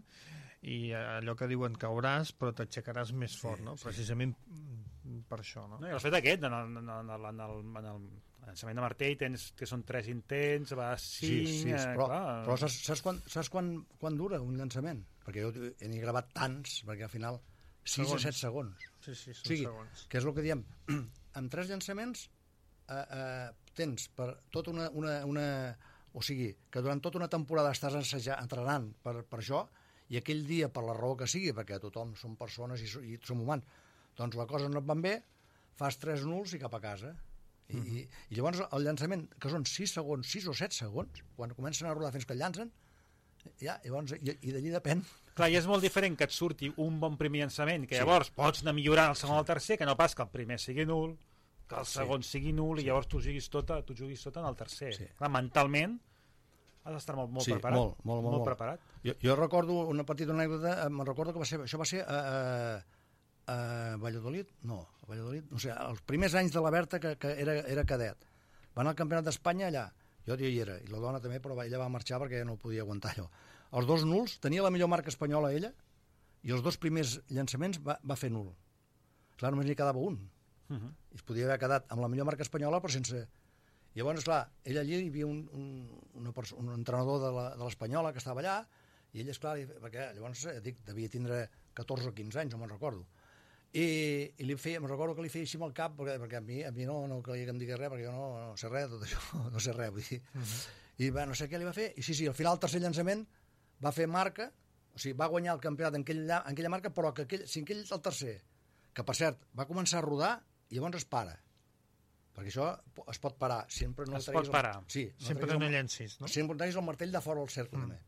i allò que diuen cauràs, però t'aixecaràs més fort, sí, no? Sí. Precisament per això, no? no I el fet aquest, en el, en el, en el, en el, llançament de martell tens que són tres intents, va a cinc... Sí, sí, eh, però, clar. però saps, saps, quan, saps quan, quan dura un llançament? Perquè jo n'he gravat tants, perquè al final sis a set segons. Sí, sí, són o sigui, segons. que és el que diem, amb tres llançaments eh, eh, tens per tota una, una, una... O sigui, que durant tota una temporada estàs assajant, entrenant per, per això, i aquell dia, per la raó que sigui, perquè tothom som persones i, i som humans, doncs la cosa no et van bé, fas tres nuls i cap a casa. I, mm. i, i llavors el llançament, que són sis segons, sis o set segons, quan comencen a rodar fins que el llancen, ja, llavors, i, i d'allí depèn. Clar, i és molt diferent que et surti un bon primer llançament, que llavors sí. pots anar millorant el segon o el tercer, que no pas que el primer sigui nul, que el segon sí. sigui nul, i llavors tu juguis tota, tu juguis tota en el tercer. Sí. Clar, mentalment has d'estar molt, molt sí, preparat. Molt, molt, molt, molt. preparat. Jo, jo recordo una petita anècdota, me'n recordo que va ser, això va ser a, a, a Valladolid, no, a Valladolid, no sé, els primers anys de la Berta, que, que era, era cadet. Va anar al Campionat d'Espanya allà, jo hi era, i la dona també, però ella va marxar perquè no podia aguantar allò. Els dos nuls, tenia la millor marca espanyola ella, i els dos primers llançaments va, va fer nul. Clar, només n'hi quedava un. Uh -huh. I es podia haver quedat amb la millor marca espanyola, però sense... Llavors, clar, ella allí hi havia un, un, una un entrenador de l'Espanyola que estava allà, i ell, esclar, perquè llavors, dic, devia tindre catorze o quinze anys, no me'n recordo. I, i li feia, me'n recordo que li feia així amb el cap, perquè, perquè a mi, a mi no, no calia que em digués res, perquè jo no, no sé res de tot això, no sé res, vull dir. Uh -huh. I va, no sé què li va fer, i sí, sí, al final el tercer llançament va fer marca, o sigui, va guanyar el campionat en aquella, en aquella marca, però que aquell, si aquell el tercer, que per cert, va començar a rodar i llavors es para. Perquè això es pot parar. Sempre no es pot el... parar. Sí, no sempre no llencis, no? Sempre treguis el martell de fora del cercle, mm. també.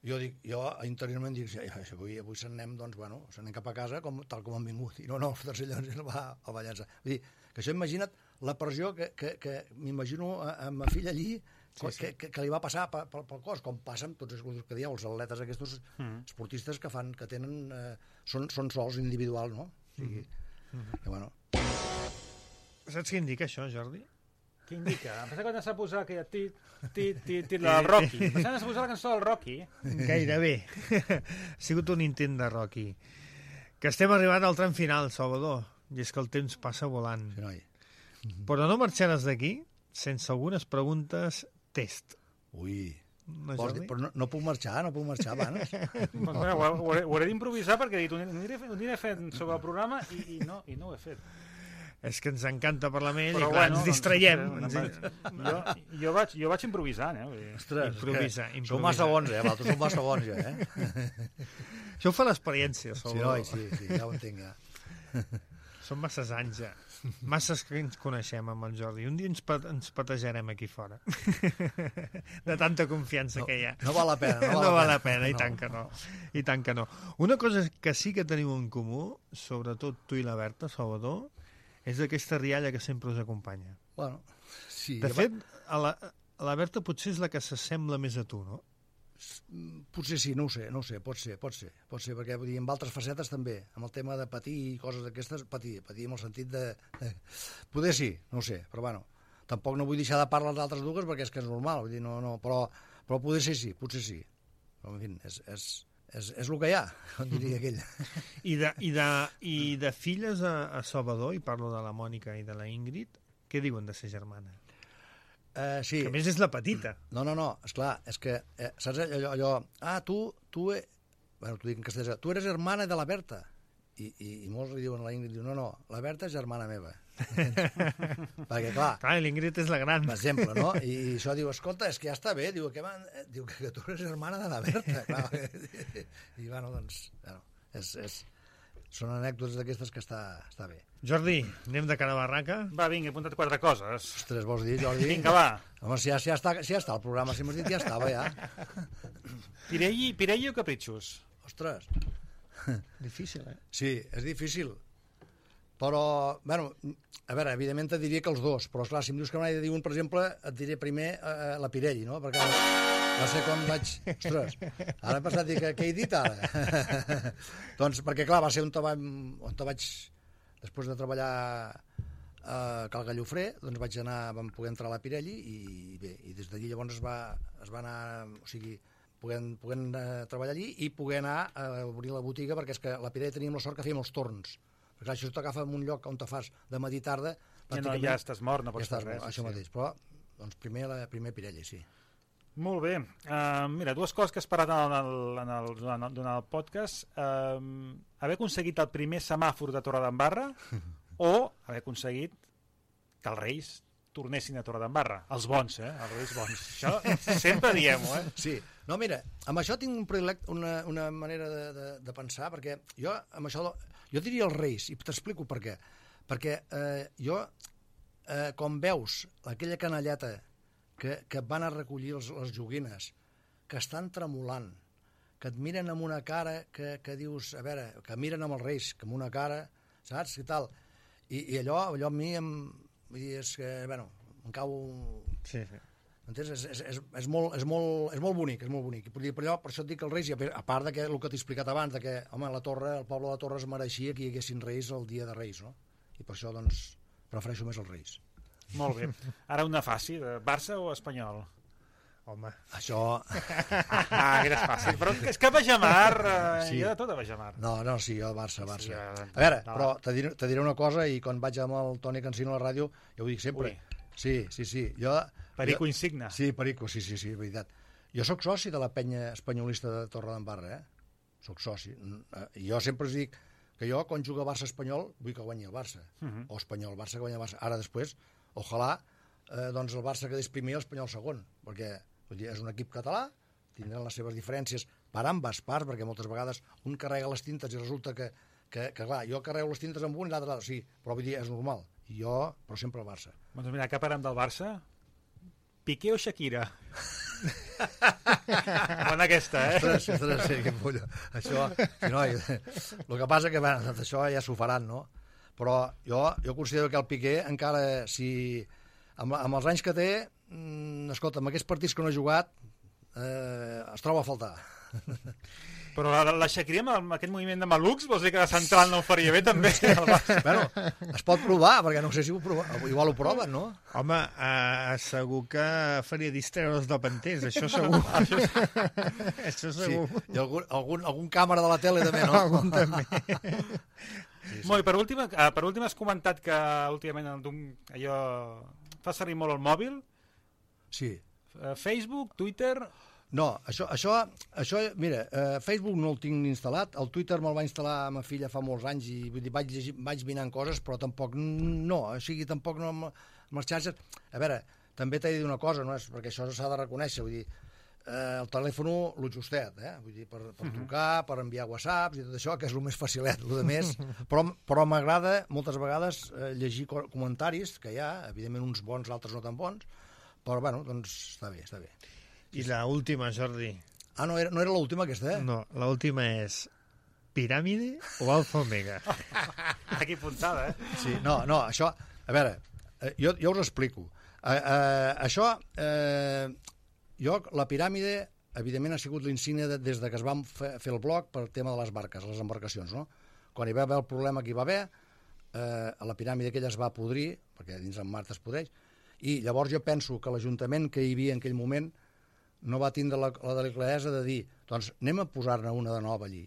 Jo dic, jo interiorment dic, ja, avui, avui se'n anem, doncs, bueno, se'n anem cap a casa com, tal com han vingut. I no, no, el tercer llanç el va, el va llançar. Vull dir, que això imagina't la pressió que, que, que m'imagino a, a ma filla allí, sí, sí. Que, que, que li va passar pel, pel cos, com passen tots els que dieu, els atletes aquests mm. esportistes que fan, que tenen, eh, són, són sols individuals, no? O sigui, mm. que bueno... Saps què indica això, Jordi? Què indica? Em pensa que s'ha posat aquella tit, tit, tit, tit, la del Rocky. Em pensa que s'ha posat la cançó del Rocky. Gairebé. Ha sigut un intent de Rocky. Que estem arribant al tram final, Salvador, i és que el temps passa volant. Sí, noi. Però no marxaràs d'aquí sense algunes preguntes test. Ui... No, dir, però no, no puc marxar, no puc marxar abans. Doncs, bueno, ho, ho, ho hauré d'improvisar perquè he dit, ho aniré, ho aniré fent sobre el programa i, i, no, i no ho he fet. És que ens encanta parlar amb ell però i clar, bueno, ens distraiem. Doncs, ens... jo, jo, vaig, jo vaig improvisant, eh? Ostres, improvisa, improvisa. Sou massa bons, eh? Vosaltres sou massa bons, ja, eh? Això ho fa l'experiència, Salvador. Sí, sí, sí, ja ho entenc, ja. Són masses anys, ja. Masses que ens coneixem amb el Jordi. Un dia ens, pat ens patejarem aquí fora. De tanta confiança no, que hi ha. No val la pena. No, no val la pena, pena, i no. tant que no. I tant que no. Una cosa que sí que teniu en comú, sobretot tu i la Berta, Salvador, és aquesta rialla que sempre us acompanya. Bueno, sí. De fet, a la, a la Berta potser és la que s'assembla més a tu, no? Potser sí, no ho sé, no ho sé, pot ser, pot ser, pot ser, perquè vull dir, amb altres facetes també, amb el tema de patir i coses d'aquestes, patir, patir en el sentit de... Poder sí, no ho sé, però bueno, tampoc no vull deixar de parlar d'altres dues perquè és que és normal, vull dir, no, no, però, però poder ser sí, potser sí, però en fi, és, és, és, és el que hi ha, com diria aquell. I de, i de, i de filles a, a Salvador, i parlo de la Mònica i de la Ingrid, què diuen de ser germanes? Uh, sí. Que a més és la petita. No, no, no, esclar, és que, eh, saps allò, allò, ah, tu, tu, e... bueno, t'ho dic en castellà, tu eres hermana de la Berta, i, i, i molts li diuen a la Ingrid, diuen, no, no, la Berta és germana meva. Perquè, clar... Clar, l'Ingrid és la gran. Per exemple, no? I, i això diu, escolta, és que ja està bé, diu, que, man... diu que, que tu eres hermana de la Berta, clar. I, bueno, doncs, bueno, és... és... són anècdotes d'aquestes que està, està bé. Jordi, anem de cara a barraca? Va, vinga, he apuntat quatre coses. Ostres, vols dir, Jordi? Vinga, va. Home, si ja, si ja, està, si ja està el programa, si m'has dit ja estava, ja. Pirelli, Pirelli o Capritxos? Ostres. Difícil, eh? Sí, és difícil. Però, bueno, a veure, evidentment et diria que els dos, però esclar, si em dius que m'hai de dir un, per exemple, et diré primer eh, la Pirelli, no? Perquè no sé com vaig... Ostres, ara he passat a dir que què he dit ara? Doncs perquè, clar, va ser on te, va, on te vaig... Després de treballar a Cal Gallofré, doncs vaig anar, vam poder entrar a la Pirelli i bé, i des d'allí llavors es va, es va anar, o sigui, podent, podent uh, treballar allí i poder anar a obrir la botiga, perquè és que a la Pirelli teníem la sort que fèiem els torns. Perquè clar, si tu t'agafa en un lloc on te fas de matí i tarda, Ja, no, ja estàs mort, no pots ja fer res. Això sí. mateix, però doncs primer, la, primer Pirelli, sí. Molt bé. Uh, mira, dues coses que has parat en el, en el, durant, durant el podcast. Uh, haver aconseguit el primer semàfor de Torredembarra o haver aconseguit que els Reis tornessin a Torredembarra. Els bons, eh? Els Reis bons. Això sempre diem-ho, eh? Sí. No, mira, amb això tinc un predilecte, una, una manera de, de, de pensar, perquè jo amb això... Jo diria els Reis, i t'explico per què. Perquè eh, jo, eh, com veus aquella canalleta que, que van a recollir els, les joguines, que estan tremolant, que et miren amb una cara que, que dius, a veure, que miren amb els Reis, que amb una cara, saps, i tal. I, i allò, allò a mi em... Vull dir, és que, bueno, em cau... Sí, sí. Entens? És, és, és, és, molt, és, molt, és molt bonic, és molt bonic. Per, allò, per això et dic que els Reis, a part de que, el que t'he explicat abans, de que, home, la Torre, el poble de la Torre es mereixia que hi haguessin Reis el dia de Reis, no? I per això, doncs, prefereixo més els Reis. Molt bé. Ara una fàcil, Barça o Espanyol? Home. Això... Ah, que és fàcil. Però és que Bajamar, eh, sí. Hi ha de tot a Bajamar. No, no, sí, jo Barça, Barça. Sí, ja... A veure, no. Però te diré, te diré una cosa, i quan vaig amb el Toni Cancino a la ràdio, jo ho dic sempre. Ui. Sí, sí, sí. Jo, Perico jo... insigna. Sí, Perico, sí, sí, sí, veritat. Jo sóc soci de la penya espanyolista de Torredembarra, eh? Soc soci. I jo sempre us dic que jo, quan jugo a Barça-Espanyol, vull que guanyi el Barça. Uh -huh. O Espanyol-Barça que guanyi el Barça. Ara, després, ojalà, eh, doncs el Barça quedés primer i l'Espanyol segon, perquè vull dir, és un equip català, tindran les seves diferències per ambes parts, perquè moltes vegades un carrega les tintes i resulta que, que, que clar, jo carrego les tintes amb un i l'altre, sí, però vull dir, és normal. I jo, però sempre el Barça. Doncs mira, que parem del Barça? Piqué o Shakira? Bona aquesta, eh? Ostres, ostres, sí, que pollo. Això, si no, el que passa que, bueno, això ja s'ho faran, no? Però jo, jo considero que el Piqué encara, si amb, amb els anys que té, mmm, escolta, amb aquests partits que no ha jugat, eh, es troba a faltar. Però la, la Shakira amb aquest moviment de malucs, vols dir que de central no ho faria bé també? Bueno, es pot provar, perquè no sé si ho prova, igual ho proven, no? Home, eh, segur que faria distreure del Pantès, això segur. Això segur. Sí. I algun, algun, algun càmera de la tele també, no? Algun també. Sí, sí. Molt, i per últim, per últim has comentat que últimament allò fa servir molt el mòbil. Sí. Facebook, Twitter... No, això, això, això mira, eh, Facebook no el tinc instal·lat, el Twitter me'l va instal·lar ma filla fa molts anys i vull dir, vaig, llegir, vaig mirant coses, però tampoc, no, o sigui, tampoc no amb, amb les xarxes. A veure, també t'he de dir una cosa, no és, perquè això s'ha de reconèixer, vull dir, eh, el telèfon lo justet, eh, vull dir, per, per trucar, per enviar whatsapps i tot això, que és el més facilet, el de més, però, però m'agrada moltes vegades eh, llegir comentaris, que hi ha, evidentment uns bons, altres no tan bons, però, bueno, doncs està bé, està bé. I l'última, Jordi. Ah, no era, no era l'última aquesta, eh? No, l'última és piràmide o alfa omega? Aquí puntada, eh? Sí, no, no, això... A veure, eh, jo, jo us explico. Eh, eh, això, eh, jo, la piràmide, evidentment, ha sigut l'insígnia de, des de que es va fer, fer el blog per tema de les barques, les embarcacions, no? Quan hi va haver el problema que hi va haver, eh, la piràmide aquella es va podrir, perquè dins en mar es podreix, i llavors jo penso que l'Ajuntament que hi havia en aquell moment no va tindre la, la delicadesa de dir doncs anem a posar-ne una de nova allí.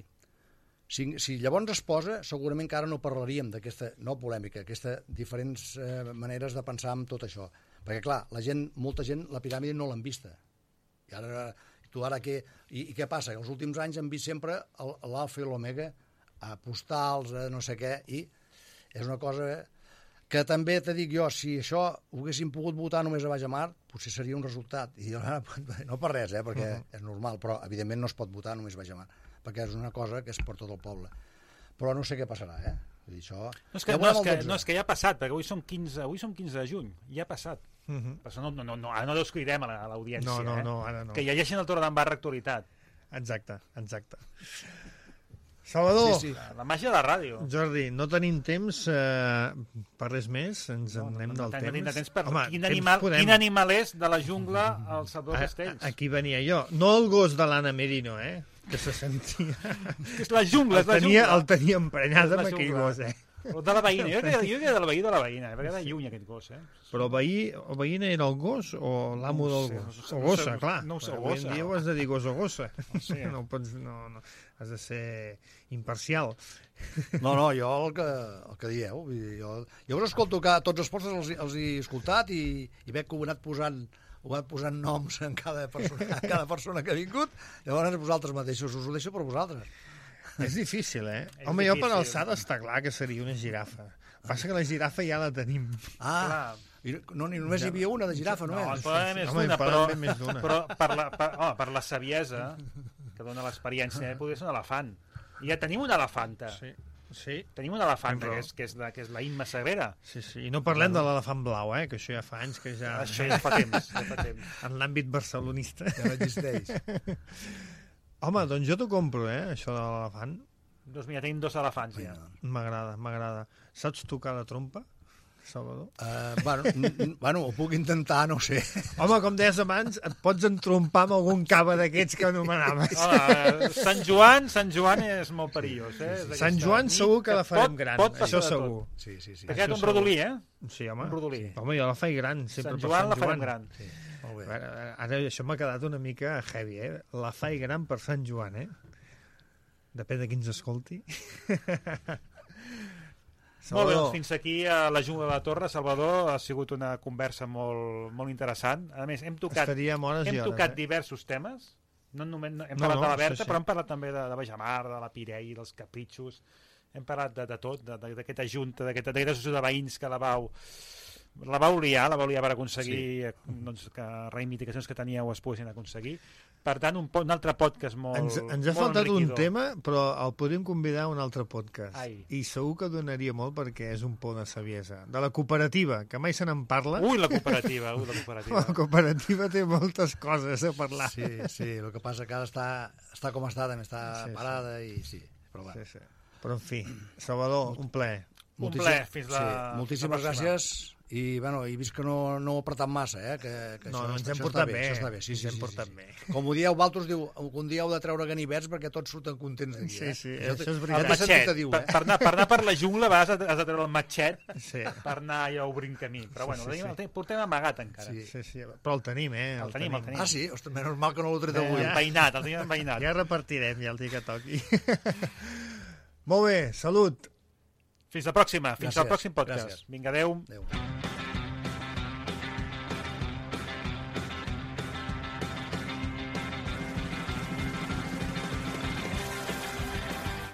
Si, si llavors es posa, segurament que ara no parlaríem d'aquesta, no polèmica, aquestes diferents eh, maneres de pensar en tot això. Perquè, clar, la gent, molta gent, la piràmide no l'han vista. I ara, tu ara què... I, i què passa? Que els últims anys hem vist sempre l'alfa i l'omega, a postals, a no sé què, i és una cosa... Que també te dic jo, si això ho haguéssim pogut votar només a Bajamar, potser seria un resultat. I jo, no per res, eh, perquè uh -huh. és normal, però evidentment no es pot votar només a Bajamar, perquè és una cosa que és per tot el poble. Però no sé què passarà, eh? Vull dir, això... No és que, ja no, és que, no, és que ja ha passat, perquè avui som quinze, avui som quinze de juny, ja ha passat. Uh -huh. Però no, no, no, ara no descuidem a l'audiència, no, no, eh? no, ara no. Que llegeixin el Torredembarra Actualitat. Exacte, exacte. Salvador, sí, sí. La màgia de la ràdio. Jordi, no tenim temps eh, per res més, ens en no, anem no, no, del no, temps. No temps per... Home, quin, animal, podem... quin animal és de la jungla el Salvador Castells? Aquí venia jo, no el gos de l'Anna Merino, eh? Que se sentia... És la jungla, és la tenia, jungla. El tenia emprenyat amb aquell gos, eh? O de la veïna, jo crec que de la veïna de la veïna, perquè era lluny aquest gos, eh? Però veí, o veïna era el gos o l'amo del gos? O gossa, clar. No ho sé, avui en dia ho has de dir gos o gossa. No pots, no, no, has de ser imparcial. No, no, jo el que, el que dieu, vull dir, jo, jo us escolto que tots els postres els, els he escoltat i, i veig que ho he anat posant ho he anat posant noms en cada persona, en cada persona que ha vingut, llavors vosaltres mateixos us ho deixo per vosaltres. És difícil, eh? És Home, difícil. Jo per alçada està clar que seria una girafa. Passa que la girafa ja la tenim. Ah, i no, ni només hi havia una de girafa, no? No, és? es poden haver més Home, d'una, poden però, haver més d'una. però per, la, per, home, per la saviesa que dona l'experiència, eh, podria ser un elefant. I ja tenim una elefanta. Sí, sí. Tenim una elefanta, que és, que és, la, que és la Imma Sagrera. Sí, sí. I no parlem de l'elefant blau, eh? Que això ja fa anys que ja... Això ja fa temps. Ja fa temps. En l'àmbit barcelonista. Ja no existeix. Home, doncs jo t'ho compro, eh? Això de l'elefant. Doncs mira, tenim dos elefants ja. M'agrada, m'agrada. Saps tocar la trompa, Salvador? Uh, bueno, bueno, ho puc intentar, no ho sé. Home, com deies abans, et pots entrompar amb algun cava d'aquests que anomenaves. Hola, Sant Joan, Sant Joan és molt perillós, eh? Sí, sí. Sant Joan segur que la farem pot, gran, pot això segur. Sí, sí, sí. Ha quedat un rodolí, eh? Sí, home. Un rodolí. Home, jo la faig gran, sempre Sant per Joan Sant la farem Joan. gran. Sí, molt bé. Ara, ara això m'ha quedat una mica heavy, eh? La faig gran per Sant Joan, eh? Depèn de qui ens escolti. Molt bé, doncs fins aquí a la Jungla de la Torre. Salvador, ha sigut una conversa molt, molt interessant. A més, hem tocat, Estaríem hores hem i hores, tocat eh? diversos temes. No només, no, hem No, parlat no, de la Berta, sí, sí. però hem parlat també de, de Bajamar, de la Pirell, dels capritxos. Hem parlat de, de tot, d'aquesta junta, d'aquesta associació de veïns que la vau la vau liar, la vau liar per aconseguir sí. doncs, que reivindicacions que teníeu es poguessin aconseguir. Per tant, un, un altre podcast molt Ens, ens ha molt faltat un enriquidor. tema, però el podríem convidar a un altre podcast. Ai. I segur que donaria molt perquè és un por de saviesa. De la cooperativa, que mai se n'en parla. Ui, la cooperativa, ui, la cooperativa. La cooperativa té moltes coses a parlar. Sí, sí, el que passa que ara està, està com està, també està Sí, sí. parada i sí. Però, bueno. Sí, sí. Però en fi, Salvador, un plaer. Un plaer, fins la... Sí, moltíssimes la pròxima. gràcies i, bueno, he vist que no, no ho he apretat massa, eh? Que, que No, això, no, ens això hem està portat bé. bé. Això està bé, sí, Ens sí, hem sí, portat sí, bé. sí. Com ho dieu, vosaltres diu, un dia heu de treure ganivets perquè tots surten contents d'aquí, Sí, eh? sí, Jo això és ja veritat. El t'he sentit matxet. a dir-ho, Per, eh? per, anar, per anar per la jungla vas, has de treure el matxet Sí. per anar allà obrint camí. Però bueno, Sí, sí, el, sí. tenim, el portem amagat encara. Sí. Sí, sí, però el tenim, eh? El tenim, el tenim. Ah, sí? Ostres, menys mal que no l'ho tret Eh, avui. Enveïnat, el tenim enveïnat. Ja repartirem, ja el dia que toqui. Molt bé, salut. Fins la pròxima, fins Gràcies, al pròxim podcast. gràcies. Vinga, adeu. Adéu.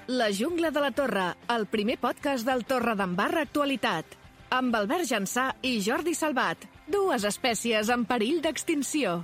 La Jungla de la Torre, el primer podcast del Torredembarra Actualitat. Amb Albert Jansà i Jordi Salvat, dues espècies en perill d'extinció.